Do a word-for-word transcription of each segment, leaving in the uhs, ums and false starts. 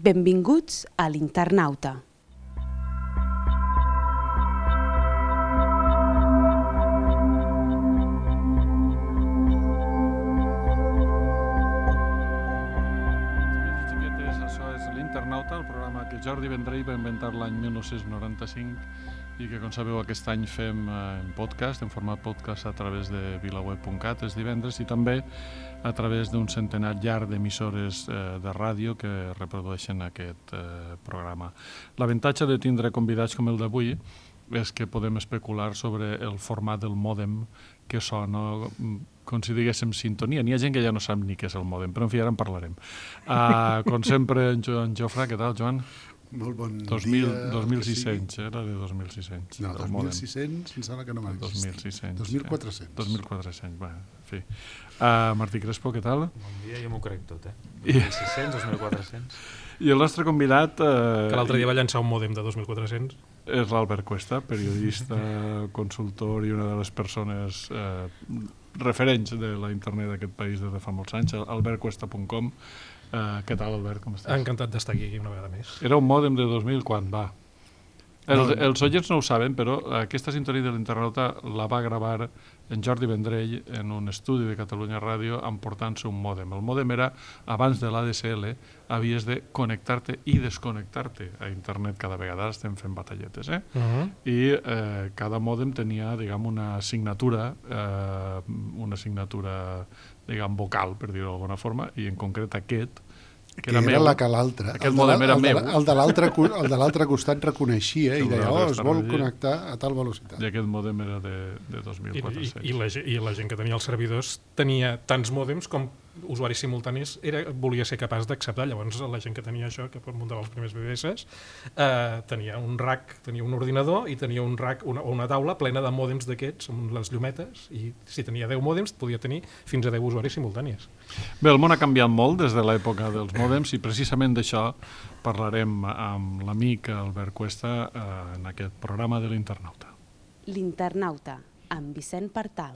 Benvinguts a l'Internauta. L'Internauta, el programa que Jordi Vendrell va inventar l'any mil nou-cents noranta-cinc i que, com sabeu, aquest any fem en podcast, en format podcast a través de vilaweb punt cat els divendres i també a través d'un centenar llarg d'emissores eh, de ràdio que reprodueixen aquest eh, programa. L'avantatge de tindre convidats com el d'avui és que podem especular sobre el format del mòdem que sona com si diguéssim sintonia. N'hi ha gent que ja no sap ni què és el mòdem, però en fi, ara en parlarem. Uh, com sempre, en, jo, en Jofre, què tal, Joan? Molt bon dos mil, dia. dos mil sis-cents, sí. Era de dos mil sis-cents. No, dos mil sis-cents, em sembla que no m'ha dos mil sis-cents. dos mil quatre-cents. dos mil quatre-cents, bé, en fi. Uh, Martí Crespo, què tal? Bon dia, jo m'ho crec tot, eh? dos mil sis-cents, dos mil quatre-cents. I el nostre convidat... Uh, que l'altre dia va llançar un mòdem de dos mil quatre-cents. És l'Albert Cuesta, periodista, consultor i una de les persones eh, referents de la internet d'aquest país des de fa molts anys, albert cuesta punt com. Uh, què tal, Albert, com estàs? Encantat d'estar aquí una vegada més. Era un mòdem de dos mil quan va. El, no, no. Els oients no ho saben, però aquesta sintonia de l'Internauta la va gravar en Jordi Vendrell en un estudi de Catalunya Ràdio emportant-se un mòdem. El mòdem era, abans de l'A D S L, havies de connectar-te i desconnectar-te a internet cada vegada. Ara estem fent batalletes, eh? Uh-huh. I eh, cada mòdem tenia, diguem, una assignatura, eh, una assignatura, diguem, vocal, per dir-ho d'alguna forma, i en concret aquest, que, que era, era meu. la que l'altre. Aquest mòdem era el meu. El de l'altre costat reconeixia i deia, oh, es vol connectar a tal velocitat. I aquest mòdem era de, de dos mil quatre-cents. I, i, i, la, I la gent que tenia els servidors tenia tants mòdems com usuaris simultanis era, volia ser capaç d'acceptar. Llavors la gent que tenia això, que muntava els primers B B S, eh, tenia un rack, tenia un ordinador i tenia un rack, una, una taula plena de mòdems d'aquests, amb les llumetes, i si tenia deu mòdems podia tenir fins a deu usuaris simultanis. Bé, el món ha canviat molt des de l'època dels mòdems i precisament d'això parlarem amb l'amic Albert Cuesta eh, en aquest programa de l'Internauta. L'Internauta, amb Vicent Partal.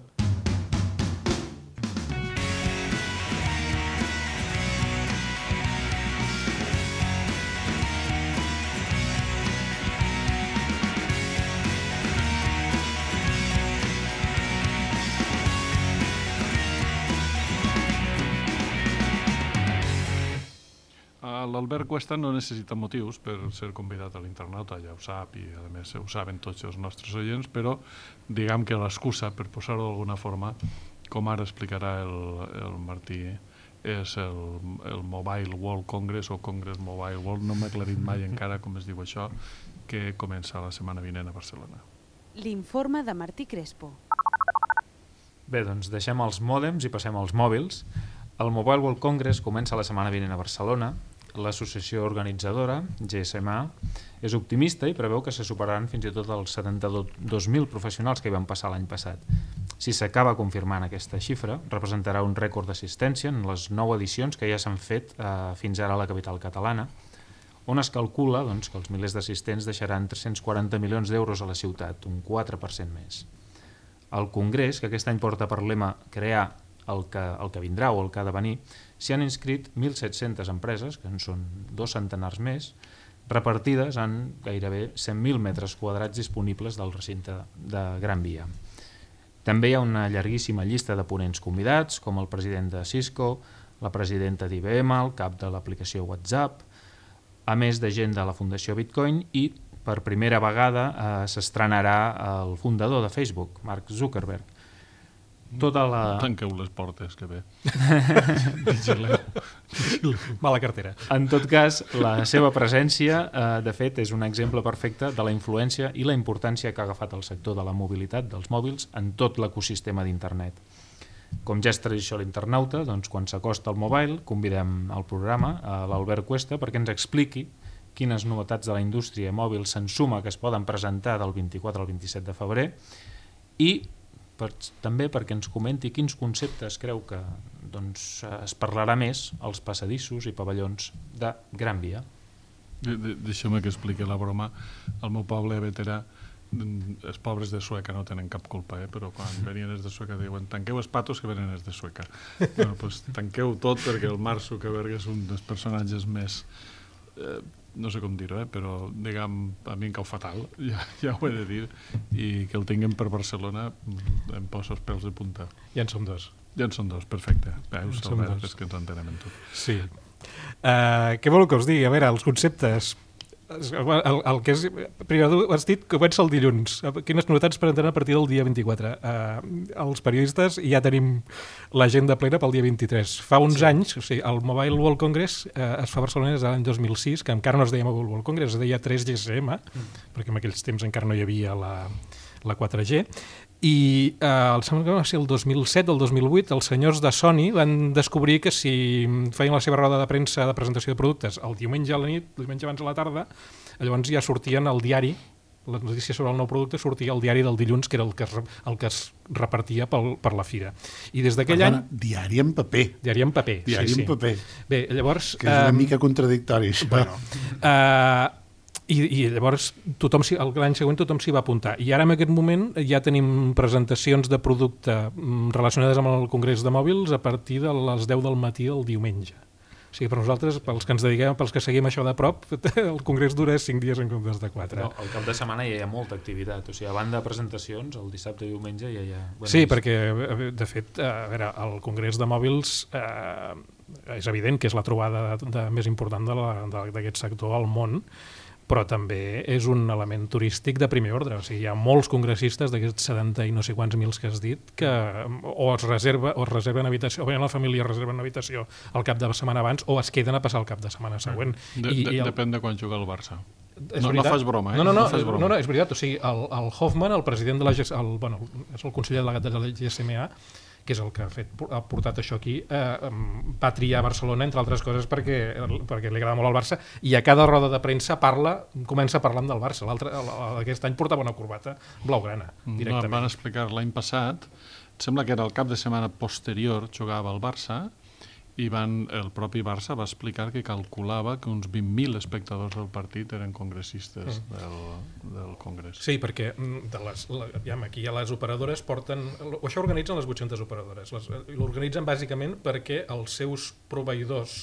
L'Albert Cuesta no necessita motius per ser convidat a l'Internauta, ja ho sap, i a més ho saben tots els nostres oients, però diguem que l'excusa, per posar-ho d'alguna forma, com ara explicarà el, el Martí, és el, el Mobile World Congress o Congress Mobile World, no m'ha aclarit mai encara com es diu això, que comença la setmana vinent a Barcelona. L'informe de Martí Crespo. Bé, doncs deixem els mòdems i passem als mòbils. El Mobile World Congress comença la setmana vinent a Barcelona. L'associació organitzadora, G S M A, és optimista i preveu que se superaran fins i tot els setanta-dos mil professionals que hi van passar l'any passat. Si s'acaba confirmant aquesta xifra, representarà un rècord d'assistència en les nou edicions que ja s'han fet eh, fins ara a la capital catalana, on es calcula doncs, que els milers d'assistents deixaran tres-cents quaranta milions d'euros a la ciutat, un quatre per cent més. El Congrés, que aquest any porta per lema crear el que, el que vindrà o el que ha de venir, s'hi han inscrit mil set-centes empreses, que en són dos centenars més, repartides en gairebé cent mil metres quadrats disponibles del recinte de Gran Via. També hi ha una llarguíssima llista de ponents convidats, com el president de Cisco, la presidenta d'I B M, el cap de l'aplicació WhatsApp, a més de gent de la Fundació Bitcoin i, per primera vegada, eh, s'estrenarà el fundador de Facebook, Mark Zuckerberg. Tota la... Tanqueu les portes, que bé. Mala cartera. En tot cas, la seva presència, eh, de fet, és un exemple perfecte de la influència i la importància que ha agafat el sector de la mobilitat dels mòbils en tot l'ecosistema d'internet. Com ja és tradició a l'Internauta, doncs, quan s'acosta el mobile, convidem al programa a l'Albert Cuesta perquè ens expliqui quines novetats de la indústria mòbil se'n suma que es poden presentar del vint-i-quatre al vint-i-set de febrer i per, també perquè ens comenti quins conceptes creu que doncs, es parlarà més als passadissos i pavellons de Gran Via. De, de, deixa'm que expliqui la broma. Al meu poble veterà, els pobres de Sueca no tenen cap culpa, eh? Però quan venien els de Sueca diuen tanqueu els patos que venen els de Sueca. Bueno, pues, tanqueu tot perquè el Mark Zuckerberg és un dels personatges més eh, no sé com dir-ho, eh, però diguem, a mi em cau fatal, ja, ja ho he de dir, i que el tinguem per Barcelona em posa els pèls de punta. Ja en som dos. Ja en són dos, perfecte. Veus, som Albert, dos. és que ens entenem en tot. Sí. Uh, què vol que us digui? A veure, els conceptes... El, el que és, primer has dit que comença el dilluns. Quines novetats presentaran a partir del dia vint-i-quatre? Uh, els periodistes ja tenim l'agenda plena pel dia vint-i-tres. Fa uns sí. anys, o sigui, el Mobile World Congress uh, es fa a Barcelona des de l'any dos mil sis, que encara no es deia Mobile World Congress, es deia tres G S M, mm. perquè en aquells temps encara no hi havia la, la quatre G, i uh, el, sembla que va ser el dos mil set o el dos mil vuit els senyors de Sony van descobrir que si feien la seva roda de premsa de presentació de productes el diumenge a la nit, el diumenge abans a la tarda, llavors ja sortien al diari, la notícia sobre el nou producte sortia al diari del dilluns, que era el que es, el que es repartia pel, per la fira. I des d'aquell any... Diari en paper. Diari en paper, diari sí, en sí. paper. Bé, llavors... Que és una um, mica contradictori, això. Bueno, uh, I, i llavors tothom l'any següent tothom s'hi va apuntar i ara en aquest moment ja tenim presentacions de producte relacionades amb el Congrés de Mòbils a partir de les deu del matí del diumenge. O sigui, per nosaltres, pels que ens dediquem, pels que seguim això de prop, el Congrés dura cinc dies en comptes de quatre. No, el cap de setmana ja hi ha molta activitat, o sigui, a banda de presentacions, el dissabte i diumenge ja hi ha... Sí, perquè, de fet, a veure, el Congrés de Mòbils eh, és evident que és la trobada de, de, més important d'aquest sector al món, però també és un element turístic de primer ordre. O sigui, hi ha molts congressistes d'aquests setanta i no sé quants mils que has dit que o es, reserva, o es reserven habitació, o la família reserven habitació el cap de setmana abans o es queden a passar el cap de setmana següent. De, I, de, i el... Depèn de quan juga el Barça. No, no fas broma, eh? No, no, no, no, fas broma. no, no és veritat. O sigui, el, el Hoffman, el president de la G S M A, el, bueno, és el conseller delegat de la G S M A, que és el que ha, fet, ha portat això aquí, eh, va triar Barcelona, entre altres coses, perquè, perquè li agrada molt el Barça, i a cada roda de premsa parla, comença parlant del Barça. Aquest any portava una corbata blaugrana, directament. No, van explicar l'any passat, sembla que era el cap de setmana posterior, jugava el Barça, i van, el propi Barça va explicar que calculava que uns vint mil espectadors del partit eren congressistes mm. del, del Congrés. Sí, perquè de les, la, ja, aquí ja les operadores porten... O això organitzen les vuit-centes operadores. L'organitzen bàsicament perquè els seus proveïdors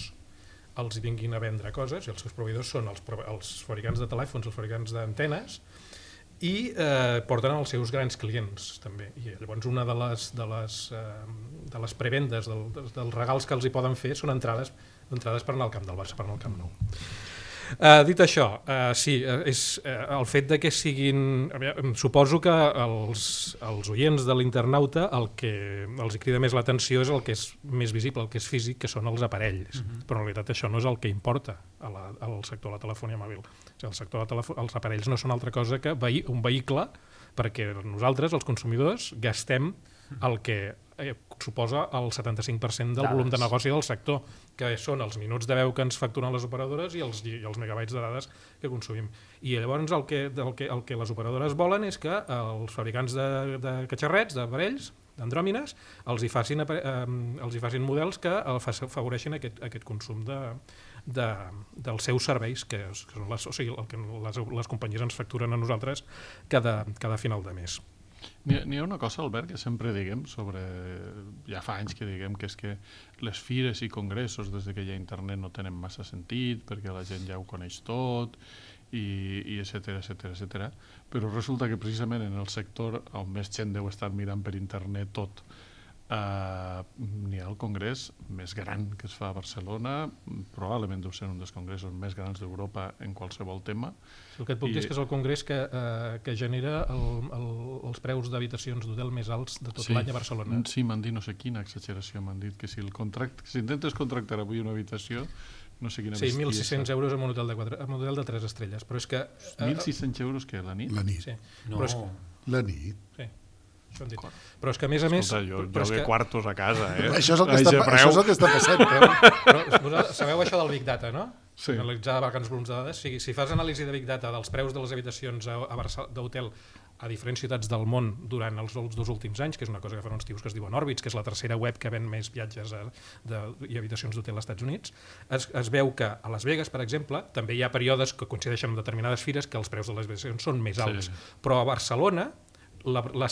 els vinguin a vendre coses, i els seus proveïdors són els, els fabricants de telèfons, els fabricants d'antenes, i eh, porten els seus grans clients també. I llavors una de les, de les, eh, de les prevendes, del, dels regals que els hi poden fer són entrades, entrades per anar al camp del Barça, per anar al Camp Nou. Uh, dit això, uh, sí, uh, és uh, el fet de que siguin... Veure, suposo que els, els oients de l'internauta el que els crida més l'atenció és el que és més visible, el que és físic, que són els aparells. Uh-huh. Però en realitat això no és el que importa a la, al sector de la telefonia mòbil. O sigui, el sector de telefo- els aparells no són altra cosa que vehi- un vehicle perquè nosaltres, els consumidors, gastem el que eh, suposa el setanta-cinc per cent del dades. volum de negoci del sector, que són els minuts de veu que ens facturen les operadores i els, i els megabytes de dades que consumim. I llavors el que, el que, el que les operadores volen és que els fabricants de, de catxarrets, d'aparells, d'andròmines, els hi facin, eh, els hi facin models que afavoreixin aquest, aquest consum de, de, dels seus serveis, que, que són les, o sigui, el que les, les companyies ens facturen a nosaltres cada, cada final de mes. N'hi ha, n'hi ha una cosa, Albert, que sempre diguem sobre... Ja fa anys que diguem que és que les fires i congressos des que hi ha internet no tenen massa sentit perquè la gent ja ho coneix tot i, i etcètera, etcètera, etcètera. Però resulta que precisament en el sector on més gent deu estar mirant per internet tot, Uh, n'hi ha el congrés més gran que es fa a Barcelona, probablement deu ser un dels congressos més grans d'Europa en qualsevol tema. El que et puc I... dir és que és el congrés que, uh, que genera el, el, els preus d'habitacions d'hotel més alts de tot sí. l'any a Barcelona. Sí, m'han dit no sé quina exageració, m'han dit que si, el contract, si intentes contractar avui una habitació, no sé quina sí, mil sis-cents euros en un hotel de, quatre, en un hotel de tres estrelles, però és que... Uh, mil sis-cents euros què, la nit? La nit. Sí. No. Però és que, la nit. Sí. Això dit. Però és que a més a més... Escolta, jo, jo ve que... quartos a casa, eh? Això és el que, està, això és el que està passant. Però, però sabeu això del Big Data, no? Sí. Analitzar vacants volums de dades. Si, si fas anàlisi de Big Data dels preus de les habitacions a, a Barça, d'hotel a diferents ciutats del món durant els, els dos últims anys, que és una cosa que fan uns tios que es diuen Orbitz, que és la tercera web que ven més viatges a, de, i habitacions d'hotel als Estats Units, es, es veu que a Las Vegas, per exemple, també hi ha períodes que coincideixen amb determinades fires que els preus de les habitacions són més alts. Sí. Però a Barcelona La, la,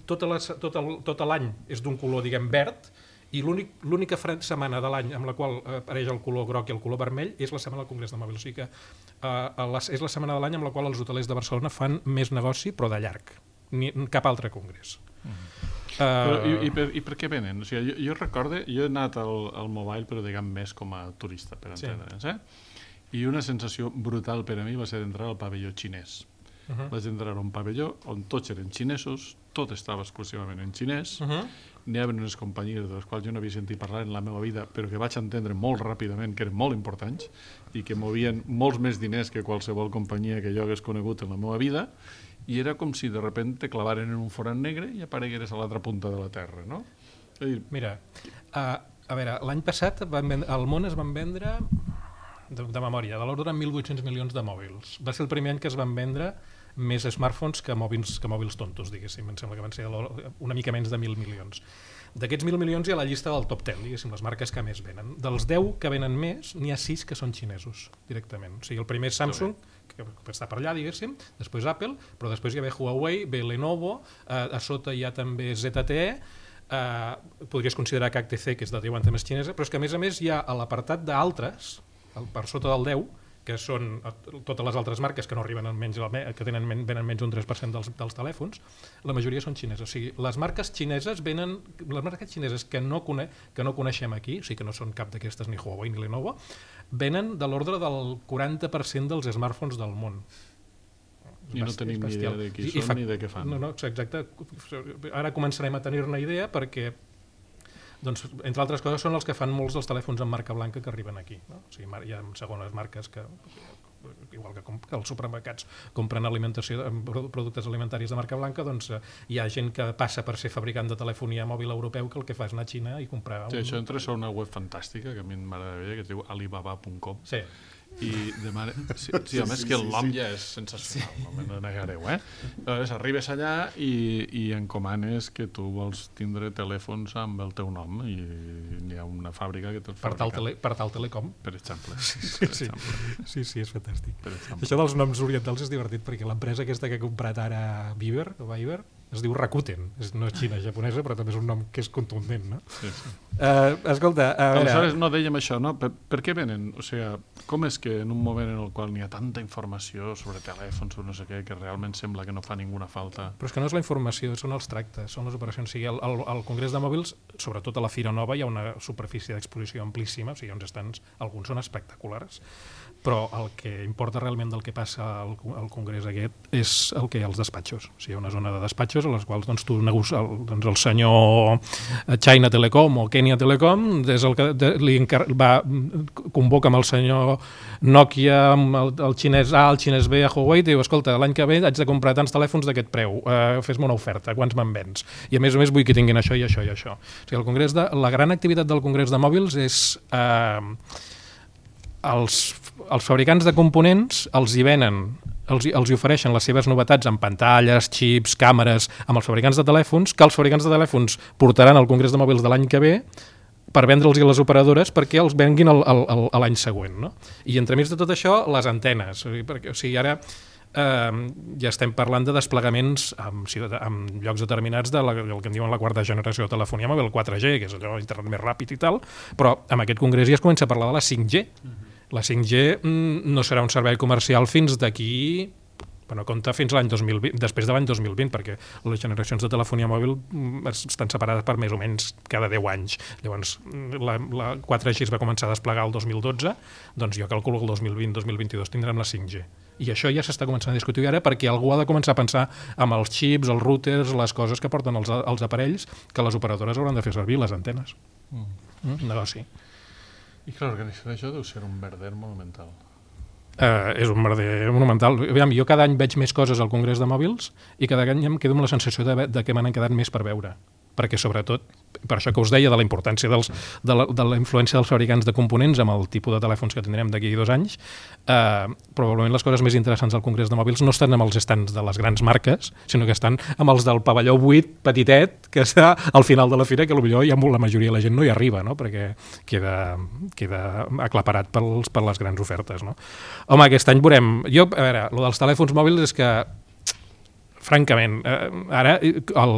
tota la, tot, el, tot l'any és d'un color, diguem, verd, I l'única setmana de l'any amb la qual apareix el color groc i el color vermell és la setmana del Congrés de Mòbils. O sigui que uh, és la setmana de l'any amb la qual els hotelers de Barcelona fan més negoci, però de llarg. Ni cap altre congrés. Mm. Uh, però, i, i, per, I per què venen? O sigui, jo, jo recordo, jo he anat al, al Mobile, però diguem més com a turista, per entendre'ns, sí. eh? I una sensació brutal per a mi va ser d'entrar al pavelló xinès. Uh-huh. Vaig entrar a un pavelló on tots eren xinesos, tot estava exclusivament en xinès, uh-huh. N'hi havia unes companyies de les quals jo no havia sentit parlar en la meva vida, però que vaig entendre molt ràpidament que eren molt importants i que movien molts més diners que qualsevol companyia que jo hagués conegut en la meva vida, i era com si de repente te clavaren en un forat negre i aparegueres a l'altra punta de la Terra, no? Dir... Mira, uh, a veure, l'any passat van vendre, al món es van vendre, de, de memòria, de l'ordre de mil vuit-cents milions de mòbils. Va ser el primer any que es van vendre més smartphones que mòbils, que mòbils tontos, diguéssim. Em sembla que van ser una mica menys de mil milions. D'aquests mil milions hi ha la llista del top deu, diguéssim, les marques que més venen. Dels deu que venen més, n'hi ha sis que són xinesos, directament. O sigui, el primer és Samsung, que està per allà, diguéssim, després Apple, però després hi ha Huawei, ve Lenovo, eh, a sota hi ha també Z T E, eh, podries considerar que H T C, que és de deu anys més xinesa, però és que a més a més hi ha a l'apartat d'altres, per sota del deu, que són totes les altres marques que no arriben en menys, que tenen, venen menys d'un tres per cent dels, dels telèfons, la majoria són xineses. O sigui, les marques xineses venen, les marques xineses que no, cone, que no coneixem aquí, o sigui que no són cap d'aquestes, ni Huawei ni Lenovo, venen de l'ordre del quaranta per cent dels smartphones del món. I no tenim ni idea de qui són ni de què fan. No, no, exacte. Ara començarem a tenir-ne idea perquè doncs, entre altres coses, són els que fan molts dels telèfons en marca blanca que arriben aquí. No? O sigui, hi ha segones marques que, igual que, com, que els supermercats compren alimentació, productes alimentaris de marca blanca, doncs eh, hi ha gent que passa per ser fabricant de telefonia mòbil europeu que el que fa és anar a Xina i comprar... Sí, un... això entra a una web fantàstica que a mi m'agradaria, que es diu alibaba punt com. Sí. I demana... Sí, sí, a més que el nom ja és sensacional, no me negareu, eh? Llavors arribes allà i, i encomanes que tu vols tindre telèfons amb el teu nom i n'hi ha una fàbrica que te'ls fabrica. Per tal, tele, per tal Telecom. Per exemple. Sí, per sí, exemple. sí, sí, és fantàstic. Per Això dels noms orientals és divertit perquè l'empresa aquesta que ha comprat ara Viber, o Viber, es diu Rakuten, és, no és xina, japonesa, però també és un nom que és contundent, no? Sí, sí. Uh, escolta, a veure... Aleshores, no dèiem això, no? Per, per què venen? O sigui, com és que en un moment en el qual n'hi ha tanta informació sobre telèfons o no sé què, que realment sembla que no fa ninguna falta? Però és que no és la informació, són els tractes, són les operacions. O sigui, al, al, al Congrés de Mòbils, sobretot a la Fira Nova, hi ha una superfície d'exposició amplíssima, o sigui, uns estants, alguns són espectaculars, però el que importa realment del que passa al, al congrés aquest és el que hi ha als despatxos. O sigui, hi ha una zona de despatxos a les quals doncs, tu negoci... el, doncs, el senyor China Telecom o Kenya Telecom és el que de, li encar... va convoca amb el senyor Nokia, amb el, el xinès A, el xinès B, a Huawei, i diu, escolta, l'any que ve haig de comprar tants telèfons d'aquest preu, uh, fes-me una oferta, quants me'n vens? I a més a més vull que tinguin això i això i això. O sigui, el congrés de, la gran activitat del congrés de mòbils és... Uh, els, els fabricants de components els hi venen, els, els hi ofereixen les seves novetats en pantalles, xips, càmeres, amb els fabricants de telèfons, que els fabricants de telèfons portaran al Congrés de Mòbils de l'any que ve per vendre'ls a les operadores perquè els venguin el, el, el, l'any següent. No? I entremig de tot això, les antenes. Perquè, o sigui, ara eh, ja estem parlant de desplegaments en, en llocs determinats del de que en diuen la quarta generació de telefonia mòbil, el quatre G, que és allò internet més ràpid i tal, però amb aquest congrés ja es comença a parlar de la cinc G. Uh-huh. La cinc G mm, no serà un servei comercial fins d'aquí, bueno, compta fins l'any dos mil vint, després de l'any dos mil vint, perquè les generacions de telefonia mòbil estan separades per més o menys cada deu anys. Llavors, la, la quatre G es va començar a desplegar el dos mil dotze, doncs jo calculo que el dos mil vint dos mil vint-dos tindrem la cinc G. I això ja s'està començant a discutir ara perquè algú ha de començar a pensar amb els xips, els routers, les coses que porten els, els aparells, que les operadores hauran de fer servir, les antenes. Mm. Mm, negoci. I clar, organitzar això deu ser un merder monumental. Uh, és un merder monumental. Aviam, jo cada any veig més coses al Congrés de Mòbils i cada any em quedo amb la sensació de, de que m'han quedat més per veure. Perquè sobretot, per això que us deia de la importància dels, de, la, de la influència dels fabricants de components amb el tipus de telèfons que tindrem d'aquí dos anys, eh, probablement les coses més interessants al Congrés de Mòbils no estan amb els estants de les grans marques, sinó que estan amb els del pavelló buit, petitet, que està al final de la fira, que potser ja la majoria de la gent no hi arriba, no? Perquè queda, queda aclaparat pels, per les grans ofertes. No? Home, aquest any veurem... Jo, a veure, el dels telèfons mòbils és que francament, eh, ara, el,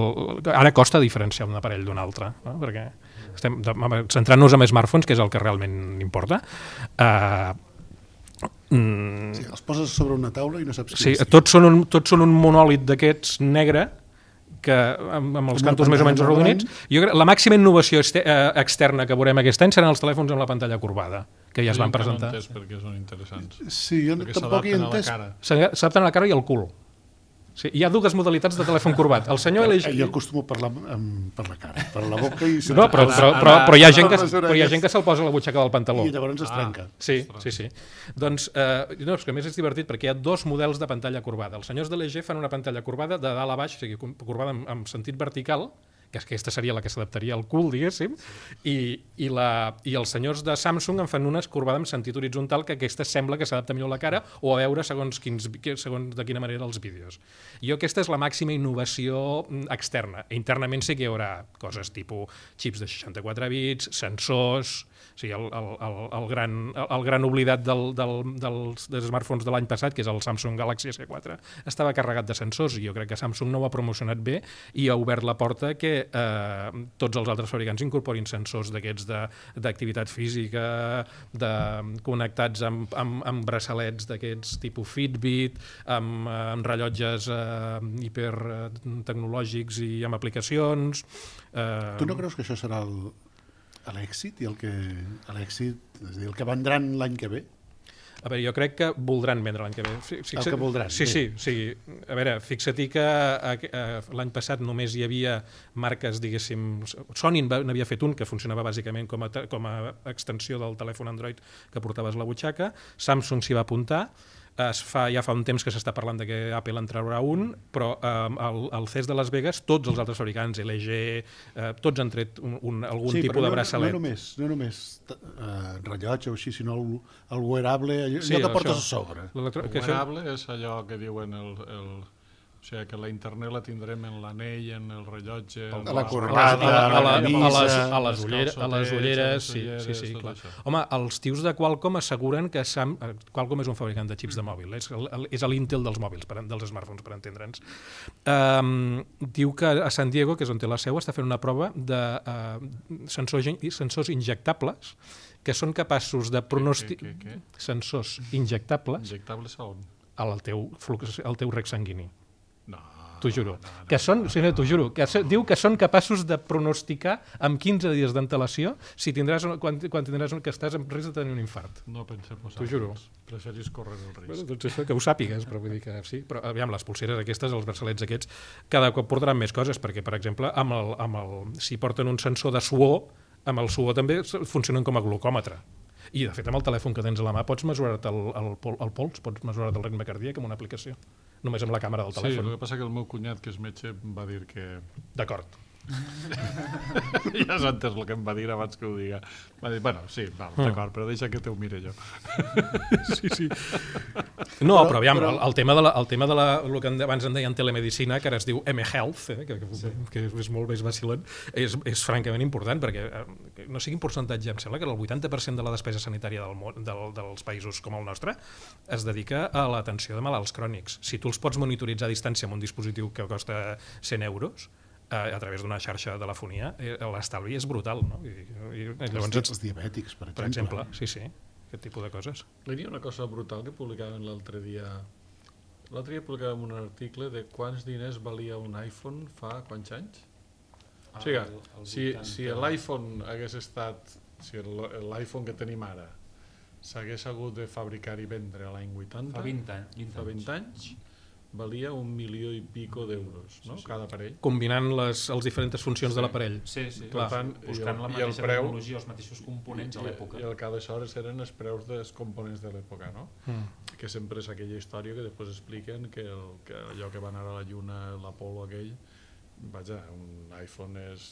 ara costa diferenciar un aparell d'un altre, no? Perquè estem centrant-nos en smartphones, que és el que realment importa. Uh, mm, sí, els poses sobre una taula i no saps sí, tots són, un, tots són un monòlit d'aquests negre, que amb, amb els cantos més o menys arrodonits. Jo crec, la màxima innovació este, eh, externa que veurem aquest any seran els telèfons amb la pantalla corbada, que ja es van presentar. No he entès perquè són interessants. Sí, jo perquè tampoc hi he entès. S'adapten a la cara i al cul. Sí, hi ha dues modalitats de telèfon corbat. El senyor L G... Jo acostumo a parlar amb, per la cara, per la boca i... No, però, però, però, però, hi ha gent que, però hi ha gent que se'l posa a la butxaca del pantaló. I llavors es trenca. Ah, sí, sí, sí. Doncs, eh, no, és que a més és divertit perquè hi ha dos models de pantalla corbada. Els senyors de L G fan una pantalla corbada de dalt a baix, o sigui, corbada en, en sentit vertical, que aquesta seria la que s'adaptaria al cul, diguéssim, i, i, la, i els senyors de Samsung en fan una corbada en sentit horitzontal, que aquesta sembla que s'adapta millor a la cara o a veure segons, quins, segons de quina manera els vídeos. Jo aquesta és la màxima innovació externa. Internament sí que hi haurà coses tipus xips de seixanta-quatre bits, sensors... O sigui, el, el, el, gran, el gran oblidat del, del, dels, dels smartphones de l'any passat, que és el Samsung Galaxy S quatre, estava carregat de sensors i jo crec que Samsung no ho ha promocionat bé i ha obert la porta que eh, tots els altres fabricants incorporin sensors d'aquests d'activitat física, de, connectats amb, amb, amb braçalets d'aquests tipus Fitbit, amb, amb rellotges eh, hipertecnològics i amb aplicacions. Eh... Tu no creus que això serà el... l'èxit i el que l'èxit, és a dir, el que vendran l'any que ve? A veure, jo crec que voldran vendre l'any que ve. Fixa... El que voldran. Sí, sí, sí. A veure, fixa-t'hi que l'any passat només hi havia marques, diguéssim... Sony n'havia fet un que funcionava bàsicament com a, com a extensió del telèfon Android que portaves a la butxaca. Samsung s'hi va apuntar. Es fa, ja fa un temps que s'està parlant de que Apple en traurà un, però eh, al, al C E S de Las Vegas tots els altres fabricants, L G, eh, tots han tret un, un, algun sí, tipus no, de braçalet. No només, no només uh, rellotge o així, sinó el, el wearable, allò, sí, allò que portes a sobre. El wearable és allò que diuen el... el... O sigui, que la internet la tindrem en l'anell, en el rellotge... A la corbata, a la camisa... A les ulleres, a les ulleres, sí, sí, sí, clar. Home, els tios de Qualcomm asseguren que Sam, Qualcomm és un fabricant de xips de mòbil, és, és l'Intel dels mòbils, per, dels smartphones, per entendre'ns. Um, diu que a San Diego, que és on té la seu, està fent una prova de uh, sensors, sensors injectables que són capaços de pronosticar... Sensors injectables... Injectables a on? Al teu, flux, al teu rec sanguini. No, t'ho juro. No, no, que són, sí, no, t'ho juro, que so, diu que són capaços de pronosticar amb quinze dies d'antelació si tindràs, quan, quan tindràs que estàs en risc de tenir un infart. No pensem posar. T'ho juro. Preferis córrer el risc. Bueno, doncs això, que ho sàpigues, però vull dir que sí. Però aviam, les pulseres aquestes, els braçalets aquests, cada cop portaran més coses, perquè, per exemple, amb el, amb el, si porten un sensor de suor, amb el suor també funcionen com a glucòmetre. I, de fet, amb el telèfon que tens a la mà pots mesurar-te el, el, el pols, pots mesurar-te el ritme cardíac amb una aplicació. Només amb la càmera del telèfon. Sí, el que passa que el meu cunyat, que és metge, va dir que... D'acord. Ja has entès el que em va dir abans que ho diga. Va dir, bueno, sí, val, d'acord, però deixa que te ho mire jo. Sí, sí. No, però, però aviam, però... El, el tema de la, el tema de la, el que abans en deien telemedicina, que ara es diu M-Health, eh, que, que, que és molt més vacilant, és, és francament important, perquè eh, no sigui un percentatge, em sembla que el vuitanta per cent de la despesa sanitària del món, del, dels països com el nostre es dedica a l'atenció de malalts crònics. Si tu els pots monitoritzar a distància amb un dispositiu que costa cent euros, a través d'una xarxa de telefonia, l'estalvi és brutal, no? I, i, llavors, els, els diabètics, per exemple. Per exemple, sí, sí, aquest tipus de coses. Hi havia una cosa brutal que publicaven l'altre dia. L'altre dia publicàvem un article de quants diners valia un iPhone fa quants anys? Ah, o sigui, el, el si, si l'iPhone hagués estat, si l'iPhone que tenim ara s'hagués hagut de fabricar i vendre a l'any vuitanta, fa vint anys, fa vint anys, valia un milió i pico d'euros, no? Sí, sí. Cada aparell. Combinant les, les diferents funcions sí. de l'aparell. Sí, sí. Per tant, buscant el, la mateixa preu, tecnologia, els mateixos components i, a l'època. I el que aleshores eren els preus dels components de l'època, no? Mm. Que sempre és aquella història que després expliquen que, el, que allò que va anar a la Lluna, l'Apolo aquell, vaja, un iPhone és...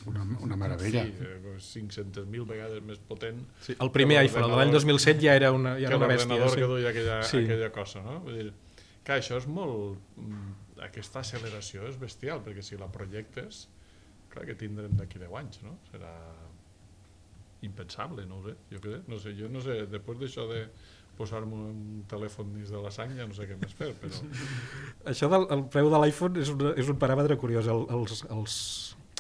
Una, una meravella. Sí, cinc-centes mil vegades més potent. Sí, el primer iPhone, el de l'any dos mil set, ja era una, ja era una bèstia. Que l'ordenador sí. que duia aquella, sí. aquella cosa, no? Vull dir, que això és molt... Aquesta acceleració és bestial, perquè si la projectes, clar que tindrem d'aquí deu anys, no? Serà impensable, no ho sé. Jo, què sé, no sé, jo no sé, després d'això de posar-me un telèfon dins de la sang ja no sé què més fer, però... Això del el preu de l'iPhone és, una, és un paràmetre curiós. El, els, els,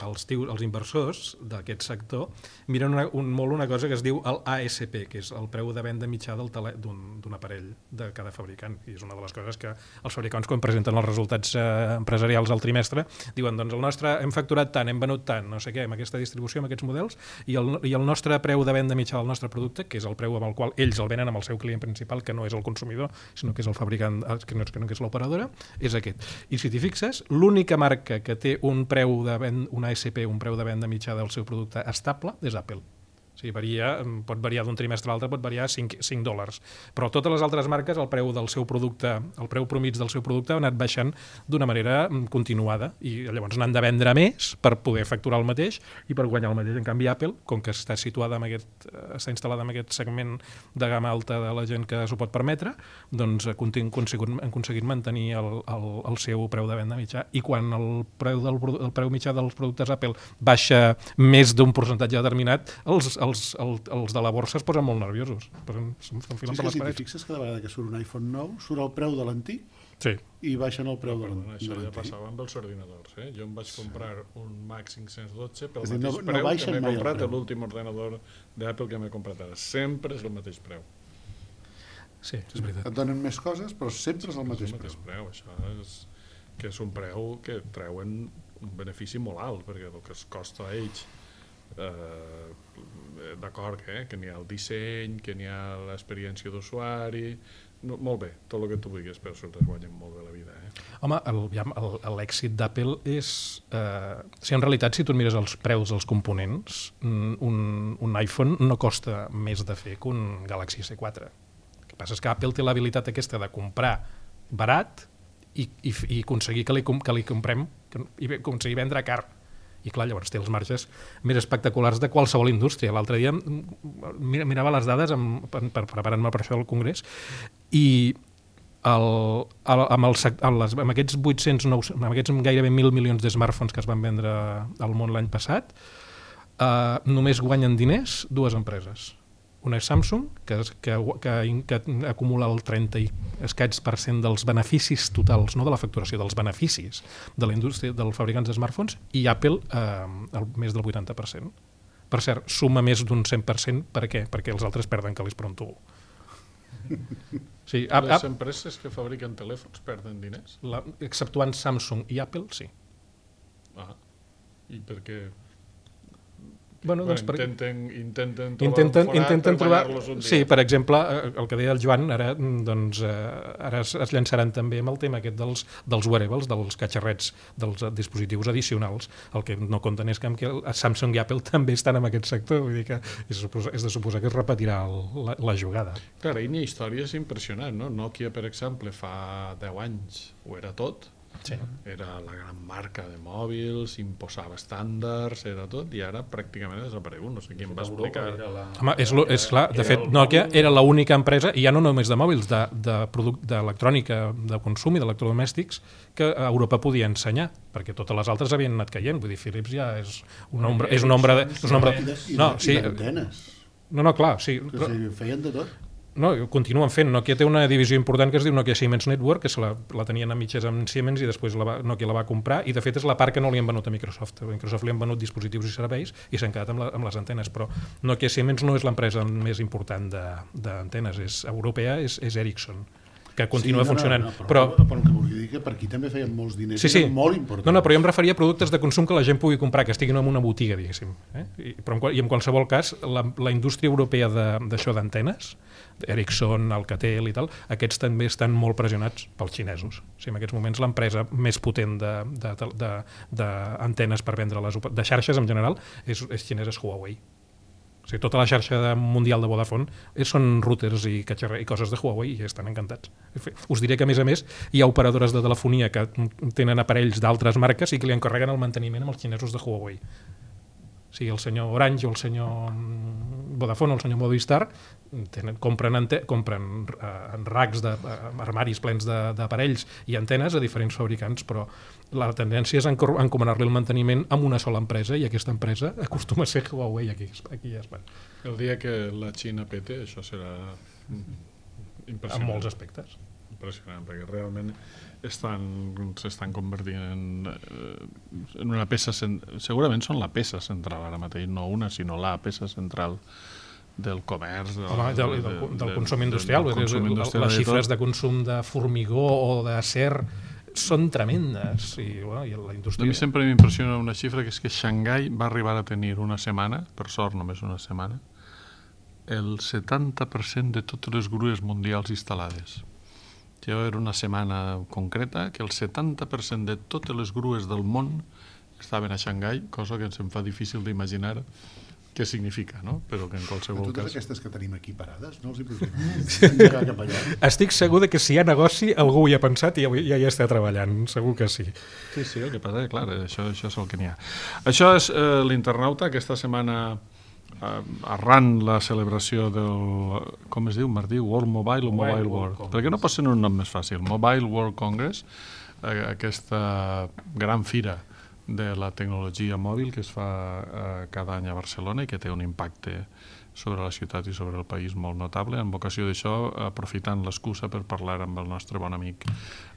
els, tios, els inversors d'aquest sector miren una, un, molt una cosa que es diu el A S P, que és el preu de venda mitjà d'un aparell de cada fabricant, i és una de les coses que els fabricants, quan presenten els resultats eh, empresarials al trimestre, diuen, doncs el nostre hem facturat tant, hem venut tant, no sé què, amb aquesta distribució, amb aquests models, i el, i el nostre preu de venda mitjà del nostre producte, que és el preu amb el qual ells el venen amb el seu client principal, que no és el consumidor, sinó que és el fabricant, que no és, que no és l'operadora, és aquest. I si t'hi fixes, l'única marca que té un preu de venda, un A S P, un preu de venda mitjà del seu producte estable, és Apple. O sigui, varia, pot variar d'un trimestre a l'altre, pot variar cinc dòlars. Però totes les altres marques, el preu del seu producte, el preu promig del seu producte ha anat baixant d'una manera continuada, i llavors n'han de vendre més per poder facturar el mateix i per guanyar el mateix. En canvi, Apple, com que està situada en aquest, està instal·lada en aquest segment de gamma alta de la gent que s'ho pot permetre, doncs han aconseguit, han aconseguit mantenir el, el, el seu preu de venda mitjà, i quan el preu, del, el preu mitjà dels productes Apple baixa més d'un percentatge determinat, els Els, els, els de la borsa es posen molt nerviosos. S'enfilen per les parets. Si fixes, cada vegada que surt un iPhone nou, surt el preu de l'antic, sí, i baixen el preu no, de l'antic. Això ja passava amb els ordinadors. Eh? Jo em vaig comprar un Mac cinc-cents dotze pel dir, mateix no, preu no que m'he comprat l'últim ordenador d'Apple que m'he comprat ara. Sempre és el mateix preu. Sí, és veritat. Et donen més coses, però sempre és el mateix, és el mateix preu. preu. Això és, que és un preu que treuen un benefici molt alt, perquè el que es costa a ells, eh, d'acord, eh? que n'hi ha el disseny, que n'hi ha l'experiència d'usuari, no, molt bé, tot el que tu vulguis, però se'ls guanyen molt bé la vida. Eh? Home, l'èxit d'Apple és... Eh, si en realitat, si tu mires els preus dels components, un, un iPhone no costa més de fer que un Galaxy S quatre. El que passa és que Apple té l'habilitat aquesta de comprar barat i, i, i aconseguir que li, que li comprem, i aconseguir vendre car. I clar, llavors té els marges més espectaculars de qualsevol indústria. L'altre dia mirava les dades amb, per, per preparant-me per això del Congrés, i el, el, amb, el, amb, les, amb aquests vuit-cents, amb aquests gairebé mil milions de smartphones que es van vendre al món l'any passat, eh, només guanyen diners dues empreses. Una és Samsung, que, que, que, que acumula el trenta i escaig per cent dels beneficis totals, no de la facturació, dels beneficis de la indústria dels fabricants de smartphones, i Apple eh, el, més del vuitanta per cent. Per cert, suma més d'un cent per cent, per què? Perquè els altres perden calés per un tubo. Sí, ap, ap, Les empreses que fabriquen telèfons perden diners? La, exceptuant Samsung i Apple, sí. Ah, i per què? Bueno, doncs bueno, intenten, intenten trobar intenten, un intenten per trobar, guanyar-los un dia. Sí, per exemple, el que deia el Joan, ara, doncs, ara es, es llançaran també amb el tema aquest dels, dels wearables, dels catxarrets, dels dispositius addicionals. El que no compten és que Samsung i Apple també estan en aquest sector, vull dir que és, és de suposar que es repetirà el, la, la jugada. Clar, hi ha històries impressionants, no? Nokia, per exemple, fa deu anys ho era tot. Sí. Era la gran marca de mòbils, imposava estàndards, era tot, i ara pràcticament ha desaparegut. No sé qui em va explicar. La... Home, és, lo, és clar, de fet, Nokia era l'única empresa, i ja no només de mòbils, d'electrònica, de, de consum i d'electrodomèstics, que a Europa podia ensenyar, perquè totes les altres havien anat caient. Vull dir, Philips ja és un nombre... És un nombre de, és un nombre... No, sí. I d'antenes. No, no, clar, sí. O sigui, feien de tot. No, continuen fent. Nokia té una divisió important que es diu Nokia Siemens Network, que se la, la tenien a mitges amb Siemens i després la va, Nokia la va comprar, i de fet és la part que no li han venut a Microsoft. A Microsoft li han venut dispositius i serveis i s'han quedat amb, la, amb les antenes, però Nokia Siemens no és l'empresa més important d'antenes, és europea, és, és Ericsson, que continua sí, no, funcionant. No, no, però, però, però el que volia dir que per aquí també feien molts diners, sí, sí. eren molt importants. No, no, però jo em referia a productes de consum que la gent pugui comprar, que estiguin en una botiga, diguéssim. Eh? I, però en, i en qualsevol cas, la, la indústria europea d'això d'antenes, Ericsson, Alcatel i tal, aquests també estan molt pressionats pels xinesos. O sigui, en aquests moments l'empresa més potent d'antenes per vendre les, de xarxes en general és, és xinesa, és Huawei. O sigui, tota la xarxa de, mundial de Vodafone són routers i, i coses de Huawei i estan encantats. Us diré que, a més a més, hi ha operadores de telefonia que tenen aparells d'altres marques i que li encarreguen el manteniment amb els xinesos de Huawei. O sigui, el senyor Orange o el senyor Vodafone o el senyor Movistar tenen, compren, ante, compren uh, racks de uh, armaris plens d'aparells i antenes a diferents fabricants, però la tendència és encomanar-li el manteniment amb una sola empresa, i aquesta empresa acostuma a ser Huawei aquí, aquí a Espanya. El dia que la Xina pete, això serà impressionant. En molts aspectes. impressionant, perquè realment estan, s'estan convertint en, en una peça, segurament són la peça central ara mateix, no una, sinó la peça central del comerç, del, Home, del, del, del, del consum industrial. Del, del consum industrial les xifres de consum de formigó o d'acer són tremendes. I, bueno, i la indústria... A mi sempre m'impressiona una xifra, que és que Xangai va arribar a tenir una setmana, per sort només una setmana, el setanta per cent de totes les grues mundials instal·lades. Jo era una setmana concreta que el setanta per cent de totes les grues del món estaven a Xangai, cosa que ens em fa difícil d'imaginar què significa, no? Però que en qualsevol totes cas... Totes aquestes que tenim aquí parades, no els hi podríem llegar cap allà. Estic segur de que si hi ha negoci algú hi ha pensat i ja hi està treballant, segur que sí. Sí, sí, el que passa és, clar, això, això és el que n'hi ha. Això és eh, l'Internauta, aquesta setmana eh, arran la celebració del, com es diu, Martí, World Mobile o Mobile, Mobile World? World perquè no pot ser un nom més fàcil. Mobile World Congress, eh, aquesta gran fira de la tecnologia mòbil que es fa eh, cada any a Barcelona i que té un impacte sobre la ciutat i sobre el país molt notable. En vocació d'això, aprofitant l'excusa per parlar amb el nostre bon amic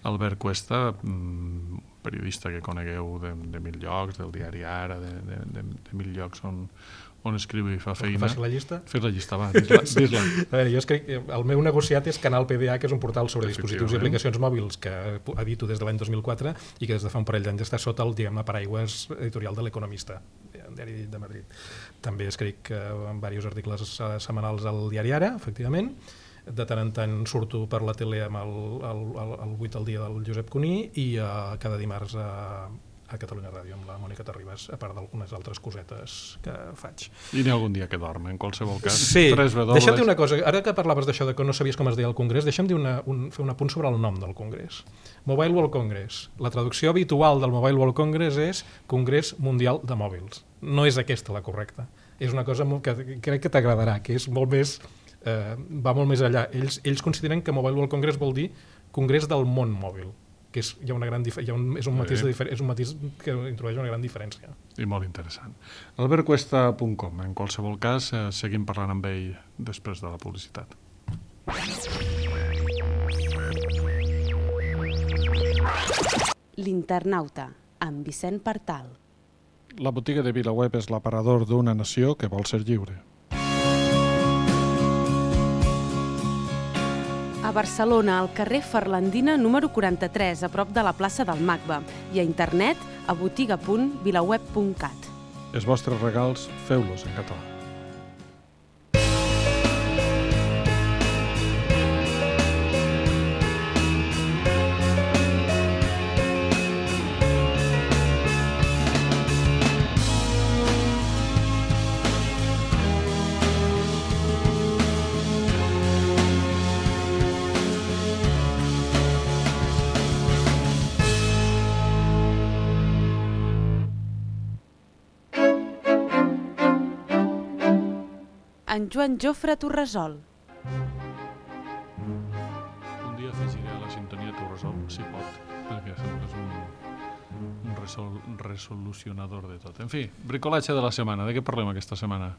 Albert Cuesta, mm, periodista que conegueu de, de mil llocs, del diari Ara, de, de, de, de mil llocs on, on escriu i fa feina. Fas la llista? Fes la llista, va, dis-la. dis-la. A veure, jo escric, el meu negociat és Canal P D A, que és un portal sobre dispositius i aplicacions mòbils que edito des de l'any dos mil quatre i que des de fa un parell d'anys està sota el, diguem-ne, paraigües editorial de l'Economista, el diari de Madrid. També escric eh, diversos articles setmanals al diari Ara, efectivament. De tant en tant surto per la tele amb el, el, el, el vuit al dia del Josep Cuní i eh, cada dimarts a, a Catalunya Ràdio amb la Mònica Terribas, a part d'algunes altres cosetes que faig. I n'hi ha algun dia que dorm, en qualsevol cas. Sí, deixa'm dir una dobles. cosa, ara que parlaves d'això de que no sabies com es deia el Congrés, deixa'm dir una, un, fer un apunt sobre el nom del Congrés. Mobile World Congress. La traducció habitual del Mobile World Congress és Congrés Mundial de Mòbils. No és aquesta la correcta. És una cosa que crec que t'agradarà, que és molt més, eh, va molt més allà. Ells, ells consideren que Mobile World Congress vol dir Congrés del món mòbil, que és, hi ha una gran hi ha un, és, un matís de és un matís que introdueix una gran diferència. I molt interessant. albert cuesta punt com. En qualsevol cas, eh, seguim parlant amb ell després de la publicitat. L'Internauta, amb Vicent Partal. La botiga de VilaWeb és l'aparador d'una nació que vol ser lliure. A Barcelona, al carrer Ferlandina número quaranta-tres, a prop de la plaça del Macba, i a internet a botiga punt vilaweb punt cat. Els vostres regals, feu-los en català. En Joan Jofre Torresol. Un dia afegiré a la sintonia Torresol, si pot, perquè és un, un resol, resolucionador de tot. En fi, bricolatge de la setmana. De què parlem aquesta setmana?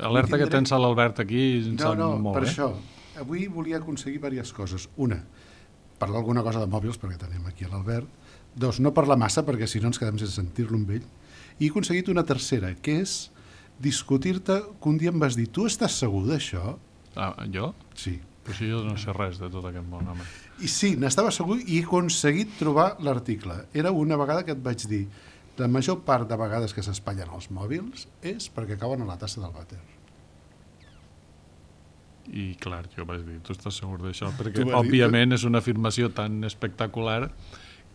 Alerta tindré... que tens a l'Albert aquí. No, no, molt, per eh? això. Avui volia aconseguir diverses coses. Una, parlar alguna cosa de mòbils, perquè tenim aquí a l'Albert. Dos, no parlar massa, perquè si no ens quedem sense sentir-lo amb ell. I he aconseguit una tercera, que és discutir-te, que un dia em vas dir, tu estàs segur d'això? Ah, jo? Sí. Però si jo no sé res de tot aquest món, home. I sí, n'estava segur i he aconseguit trobar l'article. Era una vegada que et vaig dir, la major part de vegades que s'espatllen els mòbils és perquè cauen a la tassa del vàter. I clar, jo vaig dir, tu estàs segur d'això? Perquè, òbviament, és una afirmació tan espectacular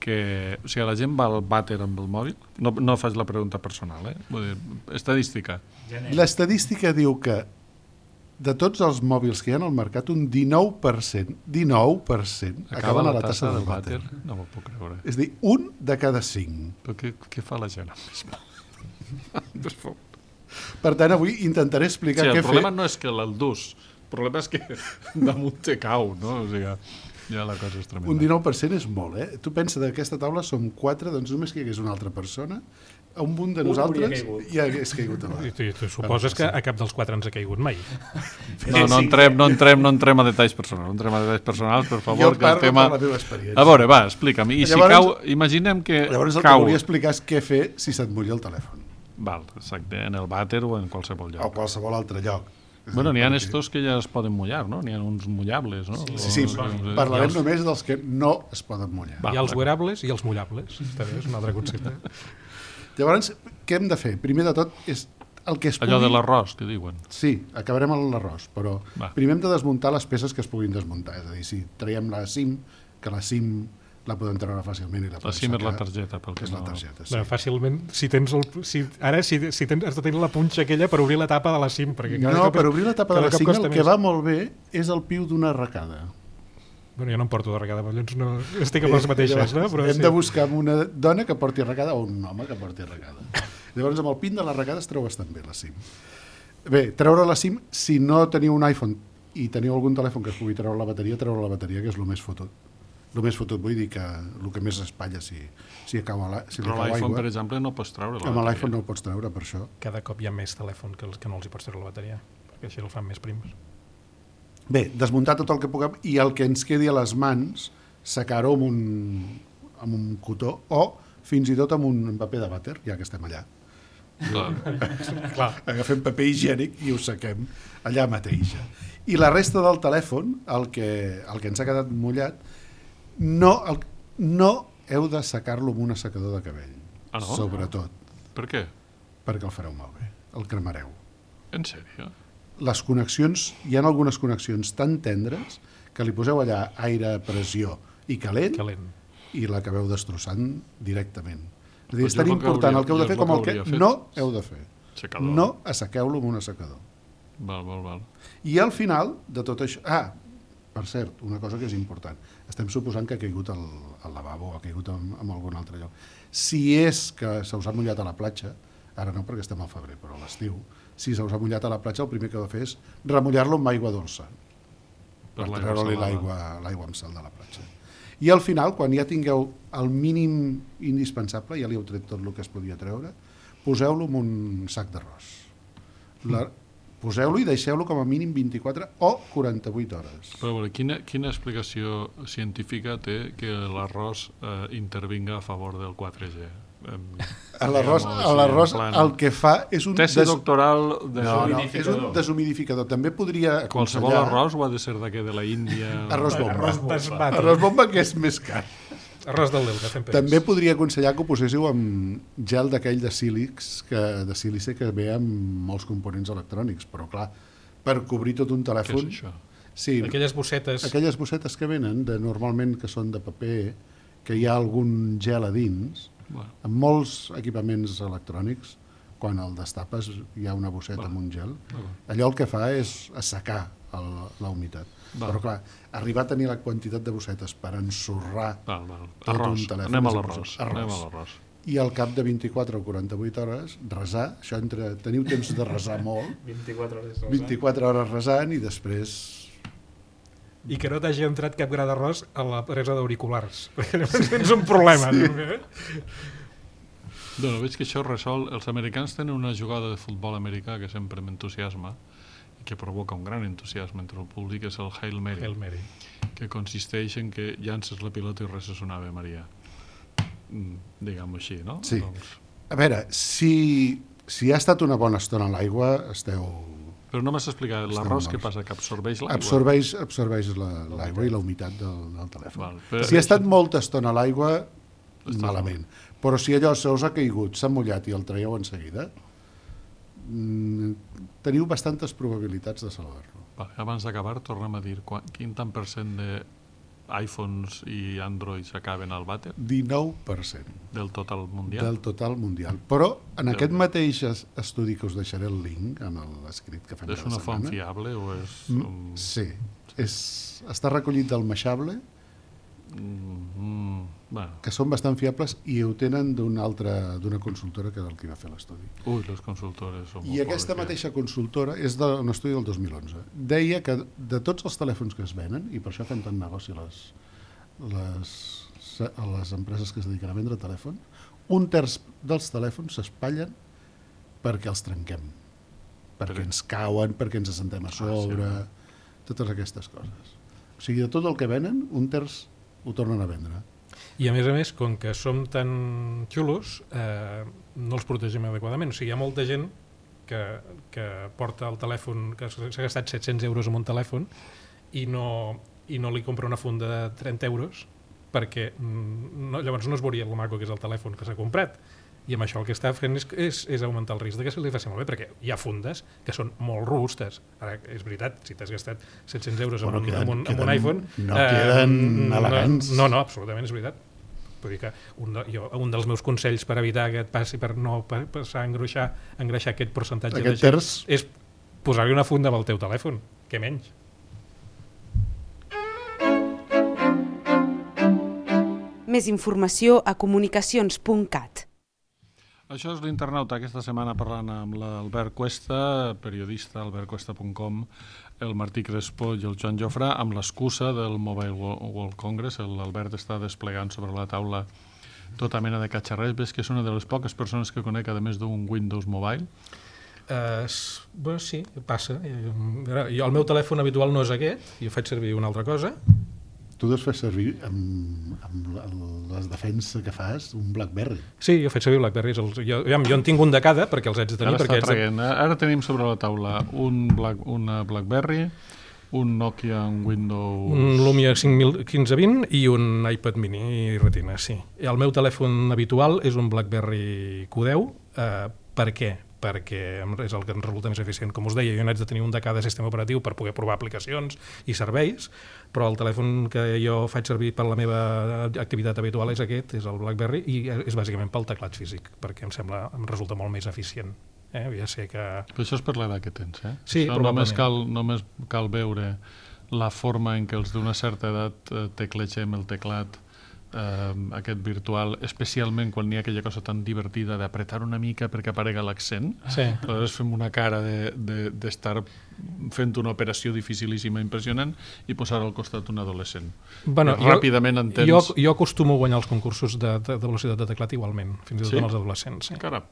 que, o sigui, la gent va al vàter amb el mòbil. No, no faig la pregunta personal, eh? Vull dir, estadística. L'estadística diu que de tots els mòbils que hi ha al mercat, un dinou per cent, dinou per cent acaben a la tassa del vàter. No m'ho puc creure. És a dir, un de cada cinc. Però què, què fa la gent amb més? Per tant, avui intentaré explicar sí, què fer. El problema no és que l'endús, el problema és que damunt te cau, no? O sigui, Ja la cosa és tremenda. Un dinou per cent és molt, eh? Tu pensa d'aquesta taula som quatre, doncs només que hi hagués una altra persona, a un munt de Un nosaltres hauria caigut. ja hagués caigut a I la... tu, tu suposes que a cap dels quatre ens ha caigut mai. No, no entrem, no entrem, no entrem a detalls personals, no entrem a detalls personals, per favor, Jo que el parlo tema... per la meva experiència. A veure, va, explica'm. I si Llavors- cau, imaginem que Llavors el que cau... volia explicar és què fer si se't mulla el telèfon, Val, exacte, en el vàter o en qualsevol o lloc. qualsevol altre lloc. És Bueno, a dir, n'hi ha perquè- estos que ja es poden mullar, no? N'hi ha uns mullables, no? Sí, sí, O- parlarem només dels que no es poden mullar. Va, Hi ha els d'acord. wearables i els mullables. També és un altre concepte. Llavors, què hem de fer? Primer de tot, és el que es pugui... Allò de l'arròs, que diuen. Sí, acabarem amb l'arròs, però Va. primer hem de desmuntar les peces que es puguin desmuntar. És a dir, si traiem la SIM, que la SIM la podem treure fàcilment i la La podem SIM és la sacar, targeta, pel que que és la no... targeta, sí. Bueno, fàcilment, si tens el, si, ara si, si tens, has de tenir la punxa aquella per obrir la tapa de la SIM. Perquè cada No, cop- per obrir la tapa de cada la cop SIM costa el que més. va molt bé és el piu d'una arracada. Bueno, jo no em porto de regada, però llavors no estic amb les mateixes, no? Però Hem sí. de buscar una dona que porti arracada o un home que porti arracada. Llavors, amb el pin de l'arracada es treu bastant bé la SIM. Bé, treure la SIM, si no teniu un iPhone i teniu algun telèfon que es pugui treure la bateria, treure la bateria, que és el més fotut. El més fotut, vull dir que el que més espatlla si, si, cau a la, si li Però cau l'iPhone, aigua. per exemple, no pots treure la Amb bateria. l'iPhone no ho pots treure, per això. Cada cop hi ha més telèfon que, els, que no els hi pots treure la bateria, perquè així el fan més prims. Bé, desmuntar tot el que puguem i el que ens quedi a les mans, secar-ho amb un, amb un cotó o fins i tot amb un paper de vàter, ja que estem allà. Clar. Agafem paper higiènic i ho sequem allà mateix. I la resta del telèfon, el que, el que ens ha quedat mullat, no, el, no heu de secar-lo amb un assecador de cabell. Ah, no? Sobretot, Per què? perquè el fareu malbé, el cremareu. En sèrio? Les connexions, hi ha algunes connexions tan tendres que li poseu allà aire, pressió i calent, Calent. i l'acabeu destrossant directament. És a dir, Pues és jo tan el que important hauria- el que heu jo de fer el com que el que hauria fet. no heu de fer. Secador. No assequeu-lo amb un assecador. Val, val, val. I al final de tot això... Ah, per cert, una cosa que és important. Estem suposant que ha caigut al, al lavabo o ha caigut en, en algun altre lloc. Si és que se us ha mullat a la platja, ara no perquè estem al febrer, però a l'estiu, si se us ha mullat a la platja, el primer que heu de fer és remullar-lo amb aigua dolça, per, Per l'aigua treure-li salada. l'aigua l'aigua amb sal de la platja. I al final, quan ja tingueu el mínim indispensable, ja li heu tret tot el que es podia treure, poseu-lo en un sac d'arròs. La, poseu-lo i deixeu-lo com a mínim vint-i-quatre o quaranta-vuit hores. Però a veure, quina, quina explicació científica té que l'arròs eh, intervinga a favor del quatre G? Em, A l'arròs, diguem-ho a així, l'arròs en plan, el que fa és un... Tesi doctoral de... No, no, és un deshumidificador. També podria Qualsevol aconsellar... arròs o ha de ser d'aquest de la Índia? Arròs bomba. Arròs basmati. Arròs bomba, que és més car. Arròs del Delta, fem peix. També podria aconsellar que ho poséssiu amb gel d'aquell de sílix, que, de sílice que ve amb molts components electrònics, però clar, per cobrir tot un Què telèfon... és això? Sí, Aquelles bossetes... aquelles bossetes que venen, de, normalment que són de paper, que hi ha algun gel a dins, Bueno, en molts equipaments electrònics, quan el destapes hi ha una bosseta Va. amb un gel, Va. allò el que fa és assecar el, la humitat. Va. Però clar, arribar a tenir la quantitat de bossetes per ensorrar val, val. Tot Arròs. un telèfon Anem a és l'arròs. impossible. Anem a Arròs. l'arròs. i al cap de vint-i-quatre o quaranta-vuit hores resar, això entre, teniu temps de resar molt, vint-i-quatre hores. vint-i-quatre hores resant i després... I que no t'hagi entrat cap gra d'arròs a la presa d'auriculars, perquè llavors tens un problema. Sí. També. Bueno, veig que això resol... Els americans tenen una jugada de futbol americà que sempre m'entusiasma i que provoca un gran entusiasme entre el públic, és el Hail Mary, Hail Mary. que consisteix en que llances la pilota i res és una Ave Maria. Mm, diguem-ho així, no? Sí. Doncs... A veure, si, si ha estat una bona estona a l'aigua, esteu... Però no m'has explicat, Estem l'arròs què morts. passa? Que absorbeix l'aigua? Absorbeix, absorbeix la- l'aigua i la humitat del, del telèfon. Val, però- Si ha estat molta estona a l'aigua, Estàs malament. Però si allò se us ha caigut, s'ha mullat i el traieu en seguida, mm, teniu bastantes probabilitats de salvar-lo. Vale, abans d'acabar, tornem a dir quan, quin tant per cent de iPhones i Androids acaben al vàter dinou per cent del total mundial? del total mundial. Però en Déu. aquest mateix es- estudi que us deixaré el link en l'escrit que fem És cada una font setmana. fiable o és... Mm, Um... Sí, és, està recollit del Meixable Mm, bueno. Que són bastant fiables i ho tenen d'una altra, d'una consultora que és el que va fer l'estudi. Ui, les consultores són molt I aquesta pobres, mateixa consultora és d'un estudi del dos mil onze. Deia que de tots els telèfons que es venen, i per això fem tant negoci les, les, a les empreses que es dediquen a vendre telèfon, un terç dels telèfons s'espatllen perquè els trenquem, perquè Però... ens cauen, perquè ens assentem a sobre, ah, sí, totes aquestes coses. O sigui, de tot el que venen, un terç ho tornen a vendre. I a més a més, com que som tan xulos, eh, no els protegim adequadament. O sigui, hi ha molta gent que, que porta el telèfon, que s'ha gastat set-cents euros en un telèfon i no, i no li compra una funda de trenta euros perquè no, llavors no es veuria el maco que és el telèfon que s'ha comprat. I amb això el que està fent és, és, és augmentar el risc de que se li faci malbé, perquè hi ha fundes que són molt robustes. Ara, és veritat, si t'has gastat set-cents euros bueno, en, un, queden, en, un, queden, en un iPhone... No eh, queden elegants. No, no, absolutament, és veritat. Vull dir que un, de, jo, un dels meus consells per evitar que et passi, per no passar a engreixar, engreixar aquest percentatge aquest de gent, terç... és posar-li una funda amb el teu telèfon, què menys. Més informació a comunicacions punt cat. Això és l'Internauta, aquesta setmana parlant amb l'Albert Cuesta, periodista, albert cuesta punt com, el Martí Crespo i el Joan Jofrà, amb l'excusa del Mobile World Congress. L'Albert està desplegant sobre la taula tota mena de catxarrers. Ves que és una de les poques persones que conec, a més d'un Windows Mobile? Uh, bueno, sí, passa. Jo, el meu telèfon habitual no és aquest, jo faig servir una altra cosa. Tu deus fer servir amb, amb les defenses que fas un BlackBerry. Sí, jo faig servir BlackBerry. Els, jo, jo en tinc un de cada perquè els haig de tenir. Ara, perquè està traient. De... Ara tenim sobre la taula un Black, una BlackBerry, un Nokia, un Windows... Un Lumia cinc mil quinze vint i un iPad mini i Retina, sí. El meu telèfon habitual és un BlackBerry Q deu. Uh, per què? Perquè és el que ens resulta més eficient. Com us deia, jo n'haig de tenir un de cada sistema operatiu per poder provar aplicacions i serveis, però el telèfon que jo faig servir per la meva activitat habitual és aquest, és el BlackBerry, i és bàsicament pel teclat físic, perquè em sembla, em resulta molt més eficient. Eh? Ja sé que... Però això és per l'edat que tens, eh? Sí, això només cal, només cal veure la forma en què els d'una certa edat eh, teclegem el teclat, eh, aquest virtual, especialment quan hi ha aquella cosa tan divertida d'apretar una mica perquè aparega l'accent. Sí. Aleshores fem una cara d'estar de, de fent una operació dificilíssima, impressionant, i posar al costat un adolescent. Bueno, jo, ràpidament entens... Jo, jo acostumo a guanyar els concursos de, de, de velocitat de teclat igualment, fins i tot sí? amb els adolescents. Sí. Caram,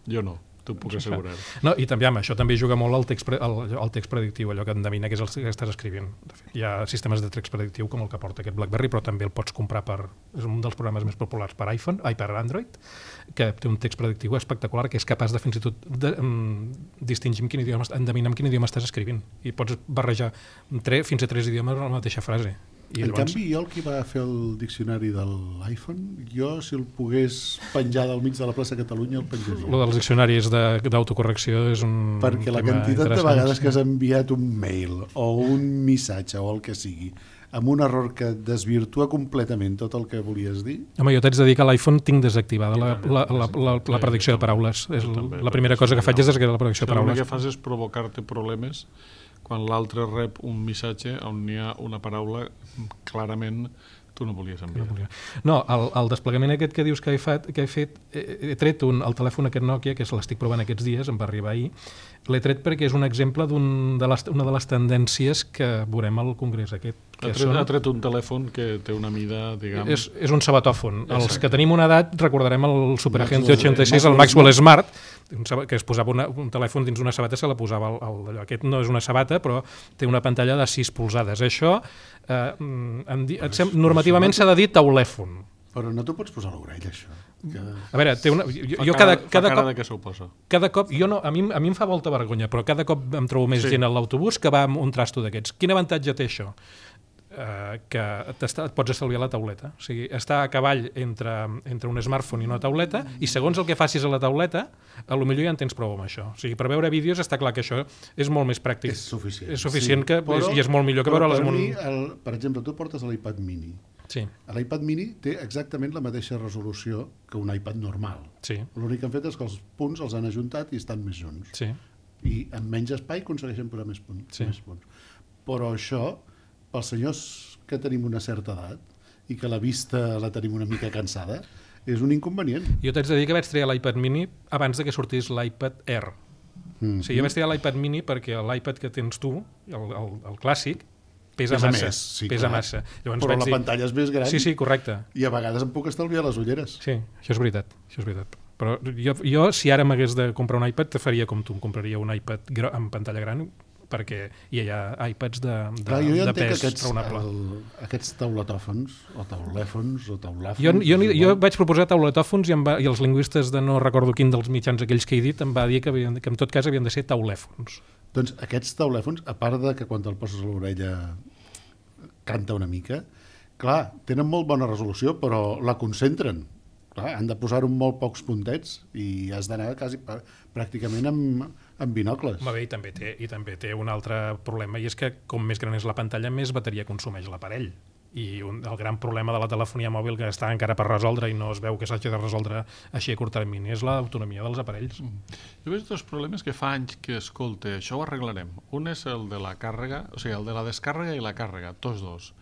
jo no. T'ho puc assegurar. No, i també amb això també juga molt el text, pre, el, el text predictiu, allò que endevina que és el que estàs escrivint. De fet, hi ha sistemes de text predictiu com el que porta aquest BlackBerry, però també el pots comprar per... És un dels programes més populars per iPhone, ai, per Android, que té un text predictiu espectacular que és capaç de fins i tot de, um, distingir en quin idioma, endevinar en quin idioma estàs escrivint. I pots barrejar tre, fins a tres idiomes en la mateixa frase. I en llavors... canvi, jo el que va fer el diccionari de l'iPhone, jo si el pogués penjar del mig de la plaça Catalunya el penjaria. Lo dels diccionaris d'autocorrecció és un perquè la quantitat de vegades que has enviat un mail o un missatge o el que sigui amb un error que desvirtua completament tot el que volies dir. Home, jo t'haig de dir que a l'iPhone tinc desactivada la, la, la, la, la predicció de paraules. És la primera cosa que faig és desactivar la predicció de paraules. El que fas és provocar-te problemes quan l'altre rep un missatge on hi ha una paraula clarament tu no volies enviar. No, el, el desplegament aquest que dius que he fet, que he, fet he, he tret un, el telèfon aquest Nokia, que l'estic provant aquests dies, em va arribar ahir, l'he tret perquè és un exemple d'un de les, una de les tendències que veurem al congrés aquest. Ha tret, són... ha tret un telèfon que té una mida, diguem... És, és un sabatòfon. Exacte. Els que tenim una edat recordarem el Super Agente ochenta i sis, el Maxwell Smart, que es posava una, un telèfon dins una sabata, se la posava el, el, aquest no és una sabata, però té una pantalla de sis polzades. Això, eh, em di, et sem, normativament s'ha de dir taulèfon. Però no t'ho pots posar a l'orella, això. Que... A veure, té una, jo, fa jo cada, cada, cada cara cop... de què s'ho posa. Cada cop, jo no, a mi, a mi em fa molta vergonya, però cada cop em trobo més sí. gent a l'autobús que va amb un trasto d'aquests. Quin avantatge té això? Uh, que et pots estalviar la tauleta. O sigui, està a cavall entre, entre un smartphone i una tauleta, i segons el que facis a la tauleta, a lo millor ja en tens prou amb això. O sigui, per veure vídeos està clar que això és molt més pràctic. És suficient. És suficient sí, que, però, és, i és molt millor que veure-les amb un... Mi, el, per exemple, tu portes l'iPad mini. Sí. L'iPad mini té exactament la mateixa resolució que un iPad normal. Sí. L'únic que han fet és que els punts els han ajuntat i estan més junts. Sí. I amb menys espai aconsegueixen posar més punts. Sí. Més punts. Però això, pels senyors que tenim una certa edat i que la vista la tenim una mica cansada, és un inconvenient. Jo t'haig de dir que vaig triar l'iPad mini abans de que sortís l'iPad Air. Mm-hmm. O sigui, jo vaig triar l'iPad mini perquè l'iPad que tens tu, el, el, el clàssic, pesa, pesa massa. Més, sí, pesa clar. massa. Llavors però la dir... pantalla és més gran. Sí, sí, correcte. I a vegades em puc estalviar les ulleres. Sí, això és veritat. Això és veritat. Però jo, jo si ara m'hagués de comprar un iPad, te faria com tu, em compraria un iPad amb pantalla gran, perquè hi ha iPads de, de, clar, jo ja de pes aquests, raonable. El, aquests tauletòfons, o taulèfons, o taulàfons... Jo, jo, jo vaig proposar tauletòfons i, va, i els lingüistes de no recordo quin dels mitjans aquells que he dit em va dir que, havien, que en tot cas havien de ser taulèfons. Doncs aquests taulèfons, a part de que quan te'l poses a l'orella canta una mica, clar, tenen molt bona resolució, però la concentren. Clar, han de posar-ho en molt pocs puntets i has d'anar quasi pràcticament amb, amb binocles. Va bé, i també, té, i també té un altre problema, i és que com més gran és la pantalla, més bateria consumeix l'aparell. I un, el gran problema de la telefonia mòbil que està encara per resoldre i no es veu que s'hagi de resoldre així a curt termini és l'autonomia dels aparells. Mm. Jo veig dos problemes que fa anys que escolte, això ho arreglarem. Un és el de la càrrega, o sigui, el de la descàrrega i la càrrega, tots dos.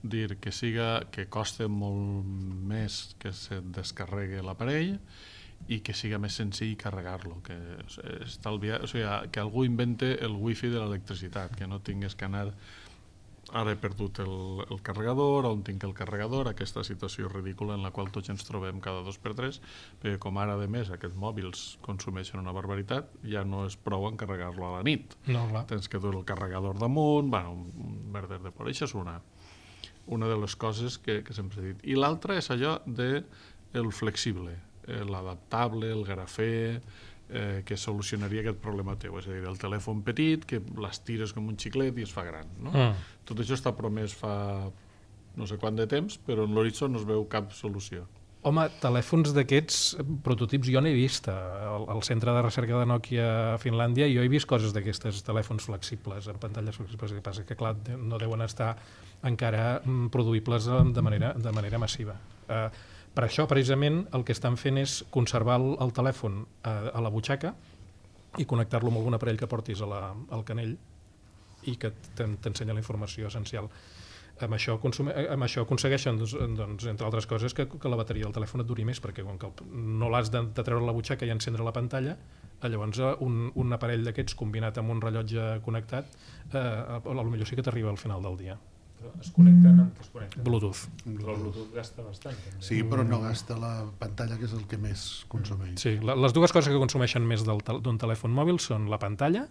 Dir que siga que costa molt més que se descarregui l'aparell i que siga més senzill carregar-lo, que estalvia, o sigui, que algú invente el wifi de l'electricitat, que no tingués que anar ara he perdut el, el carregador, on tinc el carregador, aquesta situació ridícula en la qual tots ens trobem cada dos per tres, perquè com ara de més aquests mòbils consumeixen una barbaritat, ja no és prou encarregar-lo a la nit. No, clar. Tens que dur el carregador damunt, bueno, un merder de por. Això és una, una de les coses que, que sempre he dit. I l'altra és allò de el flexible, eh, l'adaptable, el grafè, eh, que solucionaria aquest problema teu, és a dir, el telèfon petit que l'estires com un xiclet i es fa gran, no? Mm. Tot això està promès fa no sé quant de temps, però en l'horitzó no es veu cap solució. Home, telèfons d'aquests prototips jo n'he vist al, al centre de recerca de Nokia a Finlàndia, i jo he vist coses d'aquestes telèfons flexibles, amb pantalles flexibles, que passa que clar, no deuen estar encara produïbles de manera, de manera massiva. Eh, per això, precisament, el que estan fent és conservar el, el telèfon a, a la butxaca i connectar-lo amb algun aparell que portis a la, al canell i que t'ensenya la informació essencial. Amb això, consume, amb això aconsegueixen, doncs, entre altres coses, que, que la bateria del telèfon et duri més, perquè com que no l'has de, de treure la butxaca i encendre la pantalla, llavors un, un aparell d'aquests combinat amb un rellotge connectat, eh, potser sí que t'arriba al final del dia. Però es connecten amb què es connecten? Bluetooth. Però el Bluetooth gasta bastant. També. Sí, però no gasta la pantalla, que és el que més consumeix. Sí, la, les dues coses que consumeixen més del, d'un telèfon mòbil són la pantalla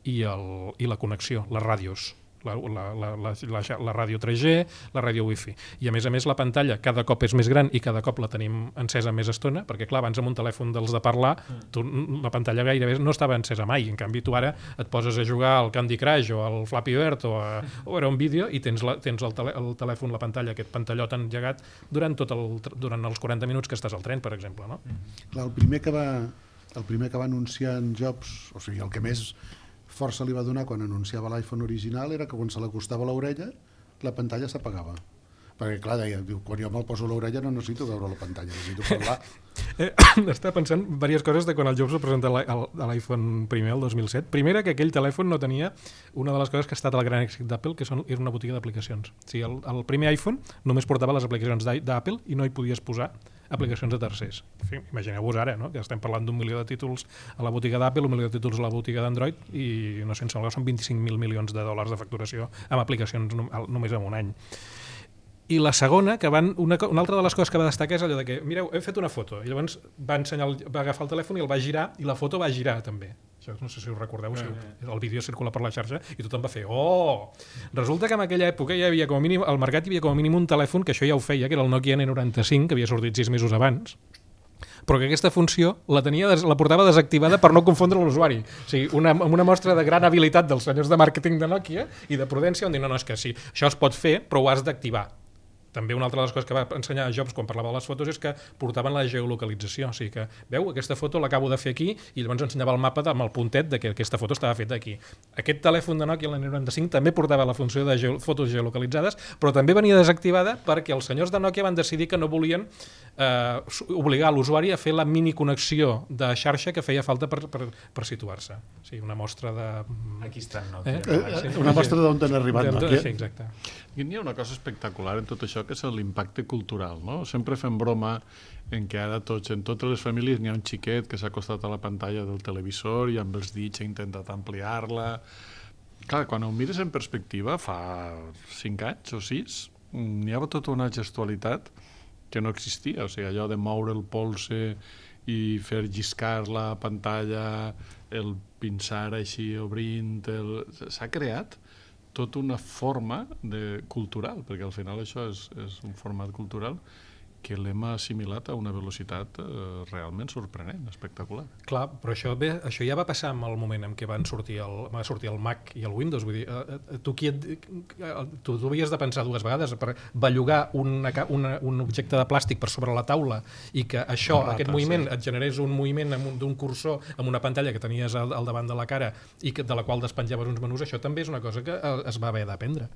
i, el, i la connexió, les ràdios. La, la, la, la, la, la ràdio tres G, la ràdio Wi-Fi. I a més a més la pantalla cada cop és més gran i cada cop la tenim encesa més estona, perquè clar, abans amb un telèfon dels de parlar, tu, la pantalla gairebé no estava encesa mai. En canvi tu ara et poses a jugar al Candy Crush o al Flappy Bird o a, o a un vídeo i tens, la, tens el, tele, el telèfon, la pantalla, aquest pantallot engegat durant, tot el, durant els quaranta minuts que estàs al tren, per exemple. No? Clar, el primer que va, el primer que va anunciar en Jobs, o sigui, el que més força li va donar quan anunciava l'iPhone original era que quan se l'acostava a l'orella la pantalla s'apagava. Perquè clar, deia, diu, quan jo me'l poso a l'orella no necessito veure la pantalla, necessito parlar. Eh, estava pensant diverses coses de quan el Jobs va presentar l'iPhone primer, el dos mil set. Primera, que aquell telèfon no tenia una de les coses que ha estat el gran èxit d'Apple, que són, era una botiga d'aplicacions. O sigui, el, el primer iPhone només portava les aplicacions d'Apple i no hi podies posar aplicacions de tercers. En fi, imagineu-vos ara, no? Que estem parlant d'un milió de títols a la botiga d'Apple, un milió de títols a la botiga d'Android i no sé, em sembla que són vint-i-cinc mil milions de dòlars de facturació amb aplicacions només en un any. I la segona, que van, una, una altra de les coses que va destacar és allò de que, mireu, he fet una foto, i llavors va, ensenyar, va agafar el telèfon i el va girar, i la foto va girar també. Això no sé si us recordeu, si el vídeo circula per la xarxa i tothom va fer, oh! Resulta que en aquella època hi havia com a mínim, al mercat hi havia com a mínim un telèfon que això ja ho feia, que era el Nokia ene noranta-cinc, que havia sortit sis mesos abans, però que aquesta funció la, tenia, la portava desactivada per no confondre l'usuari. O sigui, una, una mostra de gran habilitat dels senyors de màrqueting de Nokia i de prudència, on dir, no, no, és que sí, això es pot fer, però ho has d'activar. També una altra de les coses que va ensenyar Jobs quan parlava de les fotos és que portaven la geolocalització. O sigui que, veu, aquesta foto l'acabo de fer aquí i llavors ensenyava el mapa amb el puntet de que aquesta foto estava feta aquí. Aquest telèfon de Nokia, l'N noranta-cinc, també portava la funció de geo fotos geolocalitzades, però també venia desactivada perquè els senyors de Nokia van decidir que no volien eh, obligar l'usuari a fer la mini connexió de xarxa que feia falta per, per, per situar-se. O sigui, una mostra de... Aquí està Nokia. Eh? Eh, una mostra d'on han arribat Nokia. Sí, exacte. I n'hi ha una cosa espectacular en tot això això que és l'impacte cultural, no? Sempre fem broma en què ara tots, en totes les famílies n'hi ha un xiquet que s'ha acostat a la pantalla del televisor i amb els dits ha intentat ampliar-la. Clar, quan ho mires en perspectiva, fa cinc anys o sis, n'hi havia tota una gestualitat que no existia, o sigui, allò de moure el polze i fer lliscar la pantalla, el pinçar així obrint, el... s'ha creat tota una forma de cultural, perquè al final això és, és un format cultural que l'hem assimilat a una velocitat eh, realment sorprenent, espectacular. Clar, però això, bé, això ja va passar en el moment en què van sortir el, va sortir el Mac i el Windows. Vull dir, eh, tu, qui et, tu, tu havies de pensar dues vegades per bellugar una, una, un objecte de plàstic per sobre la taula i que això, rata, aquest moviment, sí, et generés un moviment d'un cursor amb una pantalla que tenies al, al davant de la cara i que, de la qual despenjaves uns menús, això també és una cosa que es va haver d'aprendre.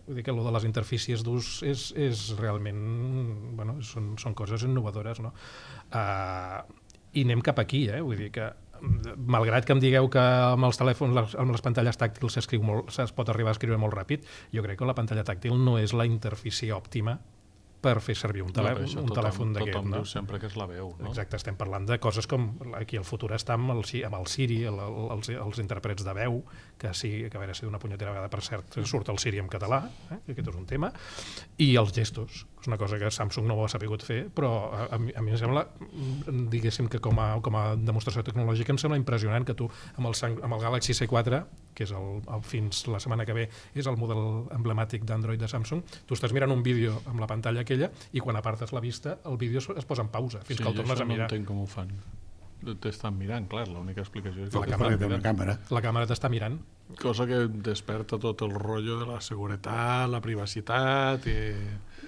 Vull dir que allò de les interfícies d'ús és, és realment... Bueno, són, són coses innovadores, no? Uh, I anem cap aquí, eh? Vull dir que, malgrat que em digueu que amb els telèfons, amb les pantalles tàctils s'escriu molt, es pot arribar a escriure molt ràpid, jo crec que la pantalla tàctil no és la interfície òptima per fer servir un, telè no, un tothom, telèfon d'aquest. Tothom no? diu sempre que és la veu. No? Exacte, estem parlant de coses com aquí el futur està amb el, amb el Siri, el, el, els, els intèrprets de veu, que sí, que a veure si d'una punyetera vegada, per cert, surt el Siri en català, eh? Aquest és un tema, i els gestos, és una cosa que Samsung no ho ha sapigut fer, però a, a, mi, a mi em sembla, diguéssim que com a, com a demostració tecnològica em sembla impressionant que tu amb el, amb el Galaxy C quatre, que és el, el, fins la setmana que ve és el model emblemàtic d'Android de Samsung, tu estàs mirant un vídeo amb la pantalla aquella i quan apartes la vista el vídeo es posa en pausa fins sí, que el tornes a mirar. Sí, jo això no entenc com ho fan. T'estan mirant, clar, l'única explicació és que la càmera té una càmera. La càmera t'està mirant. Cosa que desperta tot el rotllo de la seguretat, la privacitat i...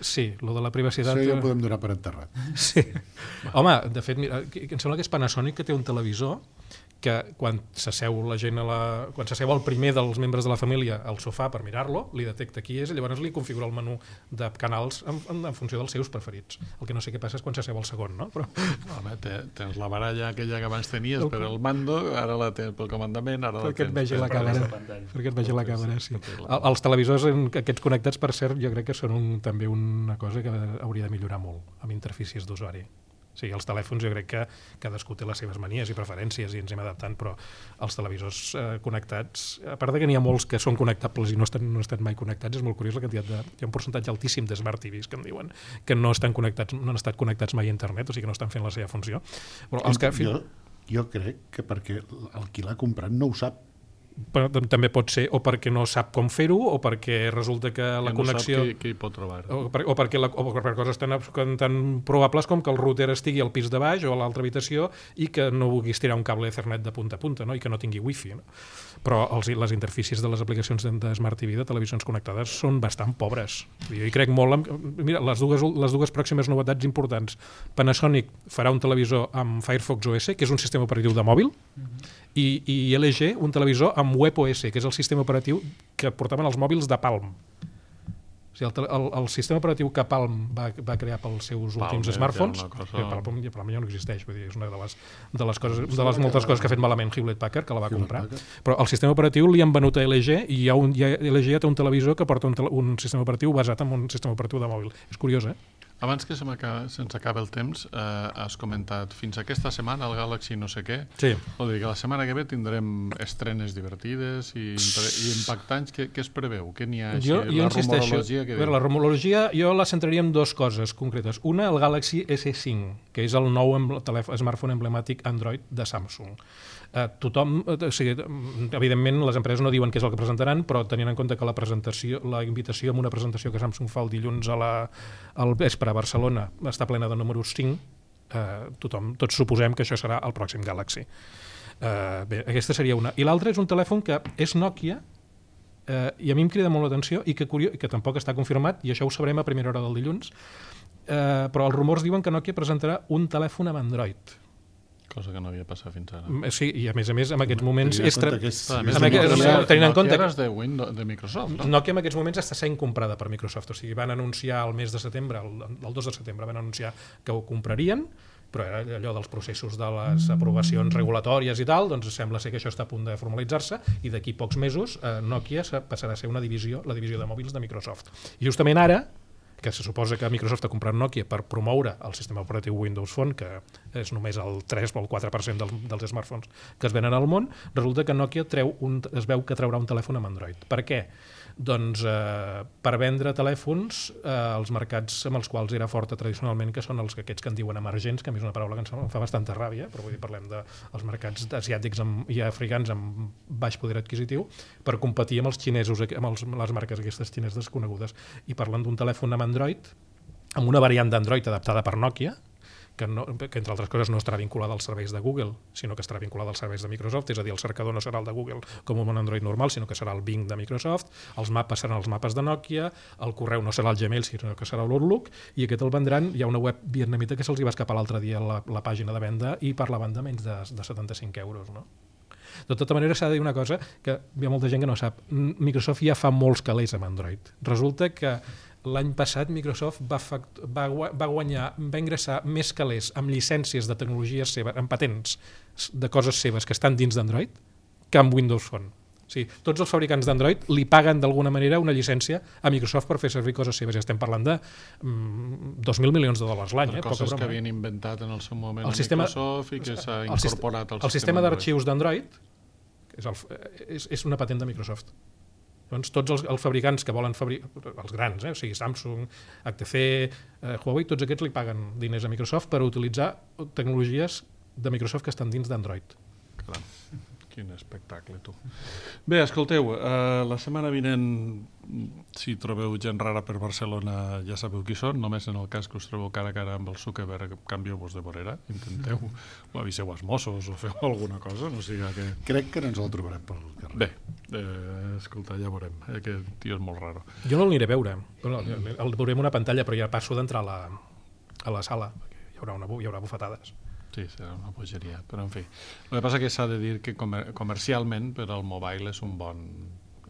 Sí, lo de la privacitat... Això ja ho podem donar per enterrat. Sí. Home, de fet, mira, em sembla que és Panasonic que té un televisor que quan s'asseu la gent a la... quan s'asseu el primer dels membres de la família al sofà per mirar-lo, li detecta qui és i llavors li configura el menú de canals en, en, en funció dels seus preferits. El que no sé què passa és quan s'asseu el segon, no? Però... Home, tens la baralla aquella que abans tenies el... per el mando, ara la tens pel comandament, ara perquè la tens et vegi la càmera. Perquè et vegi la càmera, sí. El, els televisors en, aquests connectats, per cert, jo crec que són un, també una cosa que hauria de millorar molt amb interfícies d'usuari. O sigui, els telèfons jo crec que cadascú té les seves manies i preferències i ens hem adaptant, però els televisors eh, connectats, a part de que n'hi ha molts que són connectables i no estan, no estan mai connectats, és molt curiós la quantitat de... Hi ha un percentatge altíssim de Smart T Vs que em diuen que no estan connectats, no han estat connectats mai a internet, o sigui que no estan fent la seva funció. Però els que... jo, jo crec que perquè el qui l'ha comprat no ho sap. Però també pot ser o perquè no sap com fer-ho o perquè resulta que la no connexió... sap què, què hi pot trobar. O, per, o, perquè la, o per coses tan, tan probables com que el router estigui al pis de baix o a l'altra habitació i que no vulguis tirar un cable Ethernet de punta a punta, no? I que no tingui wifi. No? Però els, les interfícies de les aplicacions de, de Smart T V, de televisions connectades, són bastant pobres. Jo hi crec molt... En, mira, les dues, les dues pròximes novetats importants. Panasonic farà un televisor amb Firefox O S, que és un sistema operatiu de mòbil, mm-hmm. i, i L G un televisor amb WebOS, que és el sistema operatiu que portaven els mòbils de Palm. O sigui, el, el, el sistema operatiu que Palm va, va crear pels seus Palm, últims smartphones, cosa... que Palm, Palm ja no existeix, vull dir, és una de les, de les, coses, de les moltes coses que ha fet malament Hewlett-Packard, que la va comprar. Però el sistema operatiu li han venut a L G i hi ha un, hi ha, L G ja té un televisor que porta un, tele, un sistema operatiu basat en un sistema operatiu de mòbil. És curiós, eh? Abans que se se'ns acaba el temps, eh, has comentat fins aquesta setmana el Galaxy no sé què. Sí. Vol dir que la setmana que ve tindrem estrenes divertides i, i impactants. Què, què es preveu? Què n'hi ha així? Jo, jo la rumorologia que veure, la rumorologia jo la centraria en dues coses concretes. Una, el Galaxy S cinc, que és el nou telèfon, smartphone emblemàtic Android de Samsung. Uh, tothom, uh, o sigui, evidentment les empreses no diuen què és el que presentaran, però tenint en compte que la presentació, la invitació amb una presentació que Samsung fa el dilluns a la, al vespre a Barcelona està plena de números cinc, uh, tothom, tots suposem que això serà el pròxim Galaxy. Uh, bé, aquesta seria una. I l'altra és un telèfon que és Nokia, uh, i a mi em crida molt l'atenció i que, curiós, que tampoc està confirmat, i això ho sabrem a primera hora del dilluns, uh, però els rumors diuen que Nokia presentarà un telèfon amb Android. Cosa que no havia passat fins ara. Sí, i a més a més, en aquests moments... És tra... que és... Més amb aquest, Nokia, tenint en compte Nokia és de, Windows, de Microsoft, no? Nokia en aquests moments està sent comprada per Microsoft. O sigui, van anunciar el mes de setembre, el, el dos de setembre, van anunciar que ho comprarien, però era allò dels processos de les aprovacions regulatòries i tal, doncs sembla ser que això està a punt de formalitzar-se i d'aquí pocs mesos eh, Nokia passarà a ser una divisió, la divisió de mòbils de Microsoft. I justament ara, que se suposa que Microsoft ha comprat Nokia per promoure el sistema operatiu Windows Phone, que és només el tres o el quatre per cent del, dels smartphones que es venen al món, resulta que Nokia treu un, es veu que traurà un telèfon amb Android. Per què? Doncs eh, per vendre telèfons eh, als mercats amb els quals era forta tradicionalment, que són els que aquests que en diuen emergents, que a mi és una paraula que em fa bastanta ràbia, però vull dir, parlem dels mercats asiàtics amb, i africans amb baix poder adquisitiu, per competir amb els xinesos, amb els, les marques aquestes xineses desconegudes. I parlant d'un telèfon amb Android, amb una variant d'Android adaptada per Nokia, que, no, que entre altres coses no estarà vinculada als serveis de Google, sinó que estarà vinculada als serveis de Microsoft, és a dir, el cercador no serà el de Google com un Android normal, sinó que serà el Bing de Microsoft, els mapes seran els mapes de Nokia, el correu no serà el Gmail, sinó que serà l'Outlook, i aquest el vendran. Hi ha una web vietnamita que se'ls va escapar l'altre dia la, la pàgina de venda i parlaven de menys de, de setanta-cinc euros, no? De tota manera, s'ha de dir una cosa que hi ha molta gent que no sap. Microsoft ja fa molts calés amb Android. Resulta que l'any passat Microsoft va, fact, va, va guanyar, va ingressar més calés amb llicències de tecnologies seves, amb patents de coses seves que estan dins d'Android, que amb Windows Phone. O sigui, tots els fabricants d'Android li paguen d'alguna manera una llicència a Microsoft per fer servir coses seves. Ja estem parlant de mm, dos mil milions de dòlars l'any. Per eh? coses que havien inventat en el seu moment el a sistema, Microsoft i que s'ha el, incorporat al el sistema. El sistema d'arxius d'Android és, el, és, és una patent de Microsoft. Doncs tots els, els fabricants que volen fabricar, els grans, eh? O sigui, Samsung, H T C, eh, Huawei, tots aquests li paguen diners a Microsoft per utilitzar tecnologies de Microsoft que estan dins d'Android. Caram, quin espectacle, tu. Bé, escolteu, eh, la setmana vinent, si trobeu gent rara per Barcelona, ja sabeu qui són, només en el cas que us trobeu cara a cara amb el Zuckerberg, canvieu-vos de vorera, intenteu, o aviseu als Mossos o feu alguna cosa, no sigui que... Crec que no ens el trobarem pel carrer. Bé, eh, escolta, ja veurem, eh, aquest tio és molt raro. Jo no l'aniré a veure, bueno, el veurem una pantalla, però ja passo d'entrar a, la, a la sala, perquè hi haurà, una, hi haurà bufetades. Sí, serà una bogeria, però en fi. El que passa que s'ha de dir que comer comercialment per al mobile és un bon,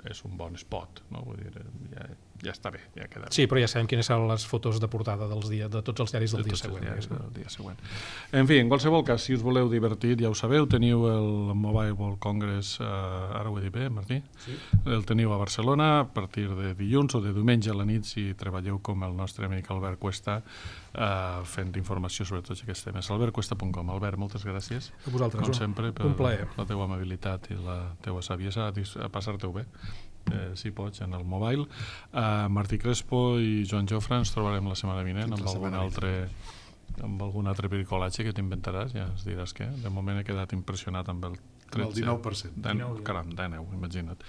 és un bon spot, no? Vull dir, ja, ja està bé, ja queda bé. Sí, però ja sabem quines seran les fotos de portada dels dia, de tots els diaris del de dia següent. Diaris del dia següent. En fi, en qualsevol cas, si us voleu divertir, ja ho sabeu, teniu el Mobile World Congress, eh, ara ho he dit bé, Martí? Sí. El teniu a Barcelona a partir de dilluns o de diumenge a la nit, si treballeu com el nostre amic Albert Cuesta, eh, fent informació sobre tots aquests temes. albert cuesta punt com. Albert, moltes gràcies. A vosaltres, com sempre, per un plaer. La teua amabilitat i la teua saviesa, a passar-te-ho bé. Eh, si pots, en el mobile. Uh, Martí Crespo i Joan Jofre ens trobarem la setmana vinent amb algun altre amb algun altre bricolatge que t'inventaràs, ja ens diràs què. De moment he quedat impressionat amb el tretze, el dinou per cent. dinou, caram, dinou, imagina't.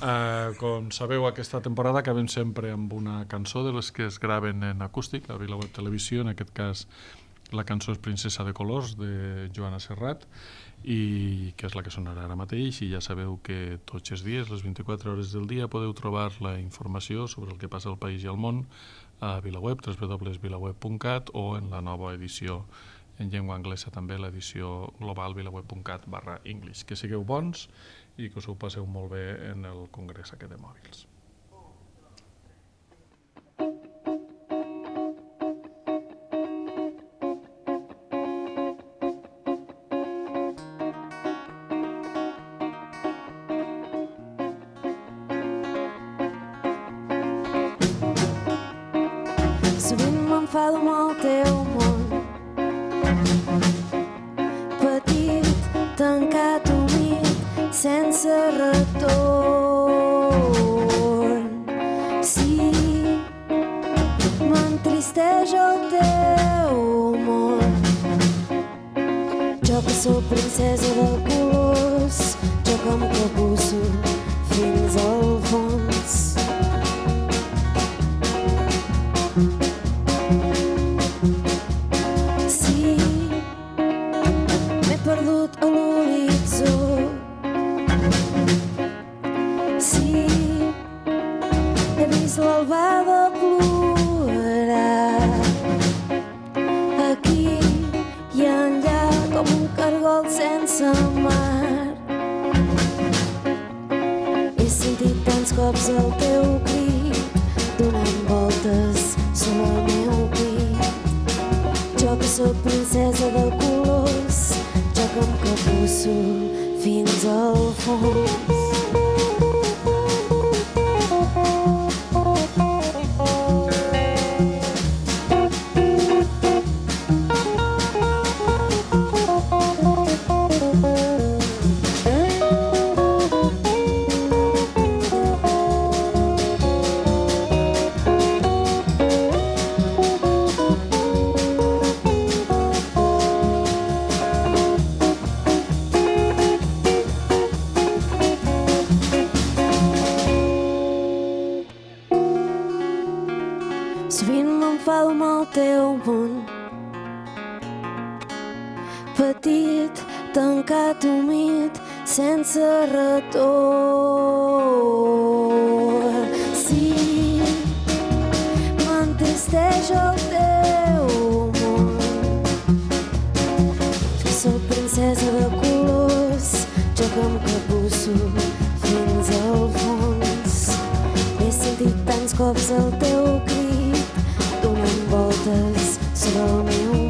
Uh, com sabeu, aquesta temporada acabem sempre amb una cançó de les que es graven en acústic a VilaWeb Televisió, en aquest cas la cançó és Princesa de Colors, de Joana Serrat, i que és la que sonarà ara mateix, i ja sabeu que tots els dies, les vint-i-quatre hores del dia, podeu trobar la informació sobre el que passa al país i al món a VilaWeb, w w w punt vilaweb punt cat, o en la nova edició en llengua anglesa també, l'edició global vilaweb punt cat barra English. Que sigueu bons i que us ho passeu molt bé en el congrés aquest de mòbils. Sovint m'enfado amb el teu món, petit, tancat, humit, sense retorn. Sí, m'entristeix el teu món. Jo que sóc princesa de colors, jo que em capusso fins al fons. Perdut a l'horitzó. Sí, he vist l'albada plorar aquí i enllà com un cargol sense mar. He sentit tants cops el teu crit donant voltes sobre el meu pit. Jo que sóc princesa de colors, jo que em capusso fins al fons. Sovint m'enfado amb el teu món. Petit, tancat, humit, sense retorn. Sí, m'entristeix el teu món. Jo soc princesa de colors, jo que em capusso fins al fons. He sentit tants cops el teu crit, donant voltes sobre el meu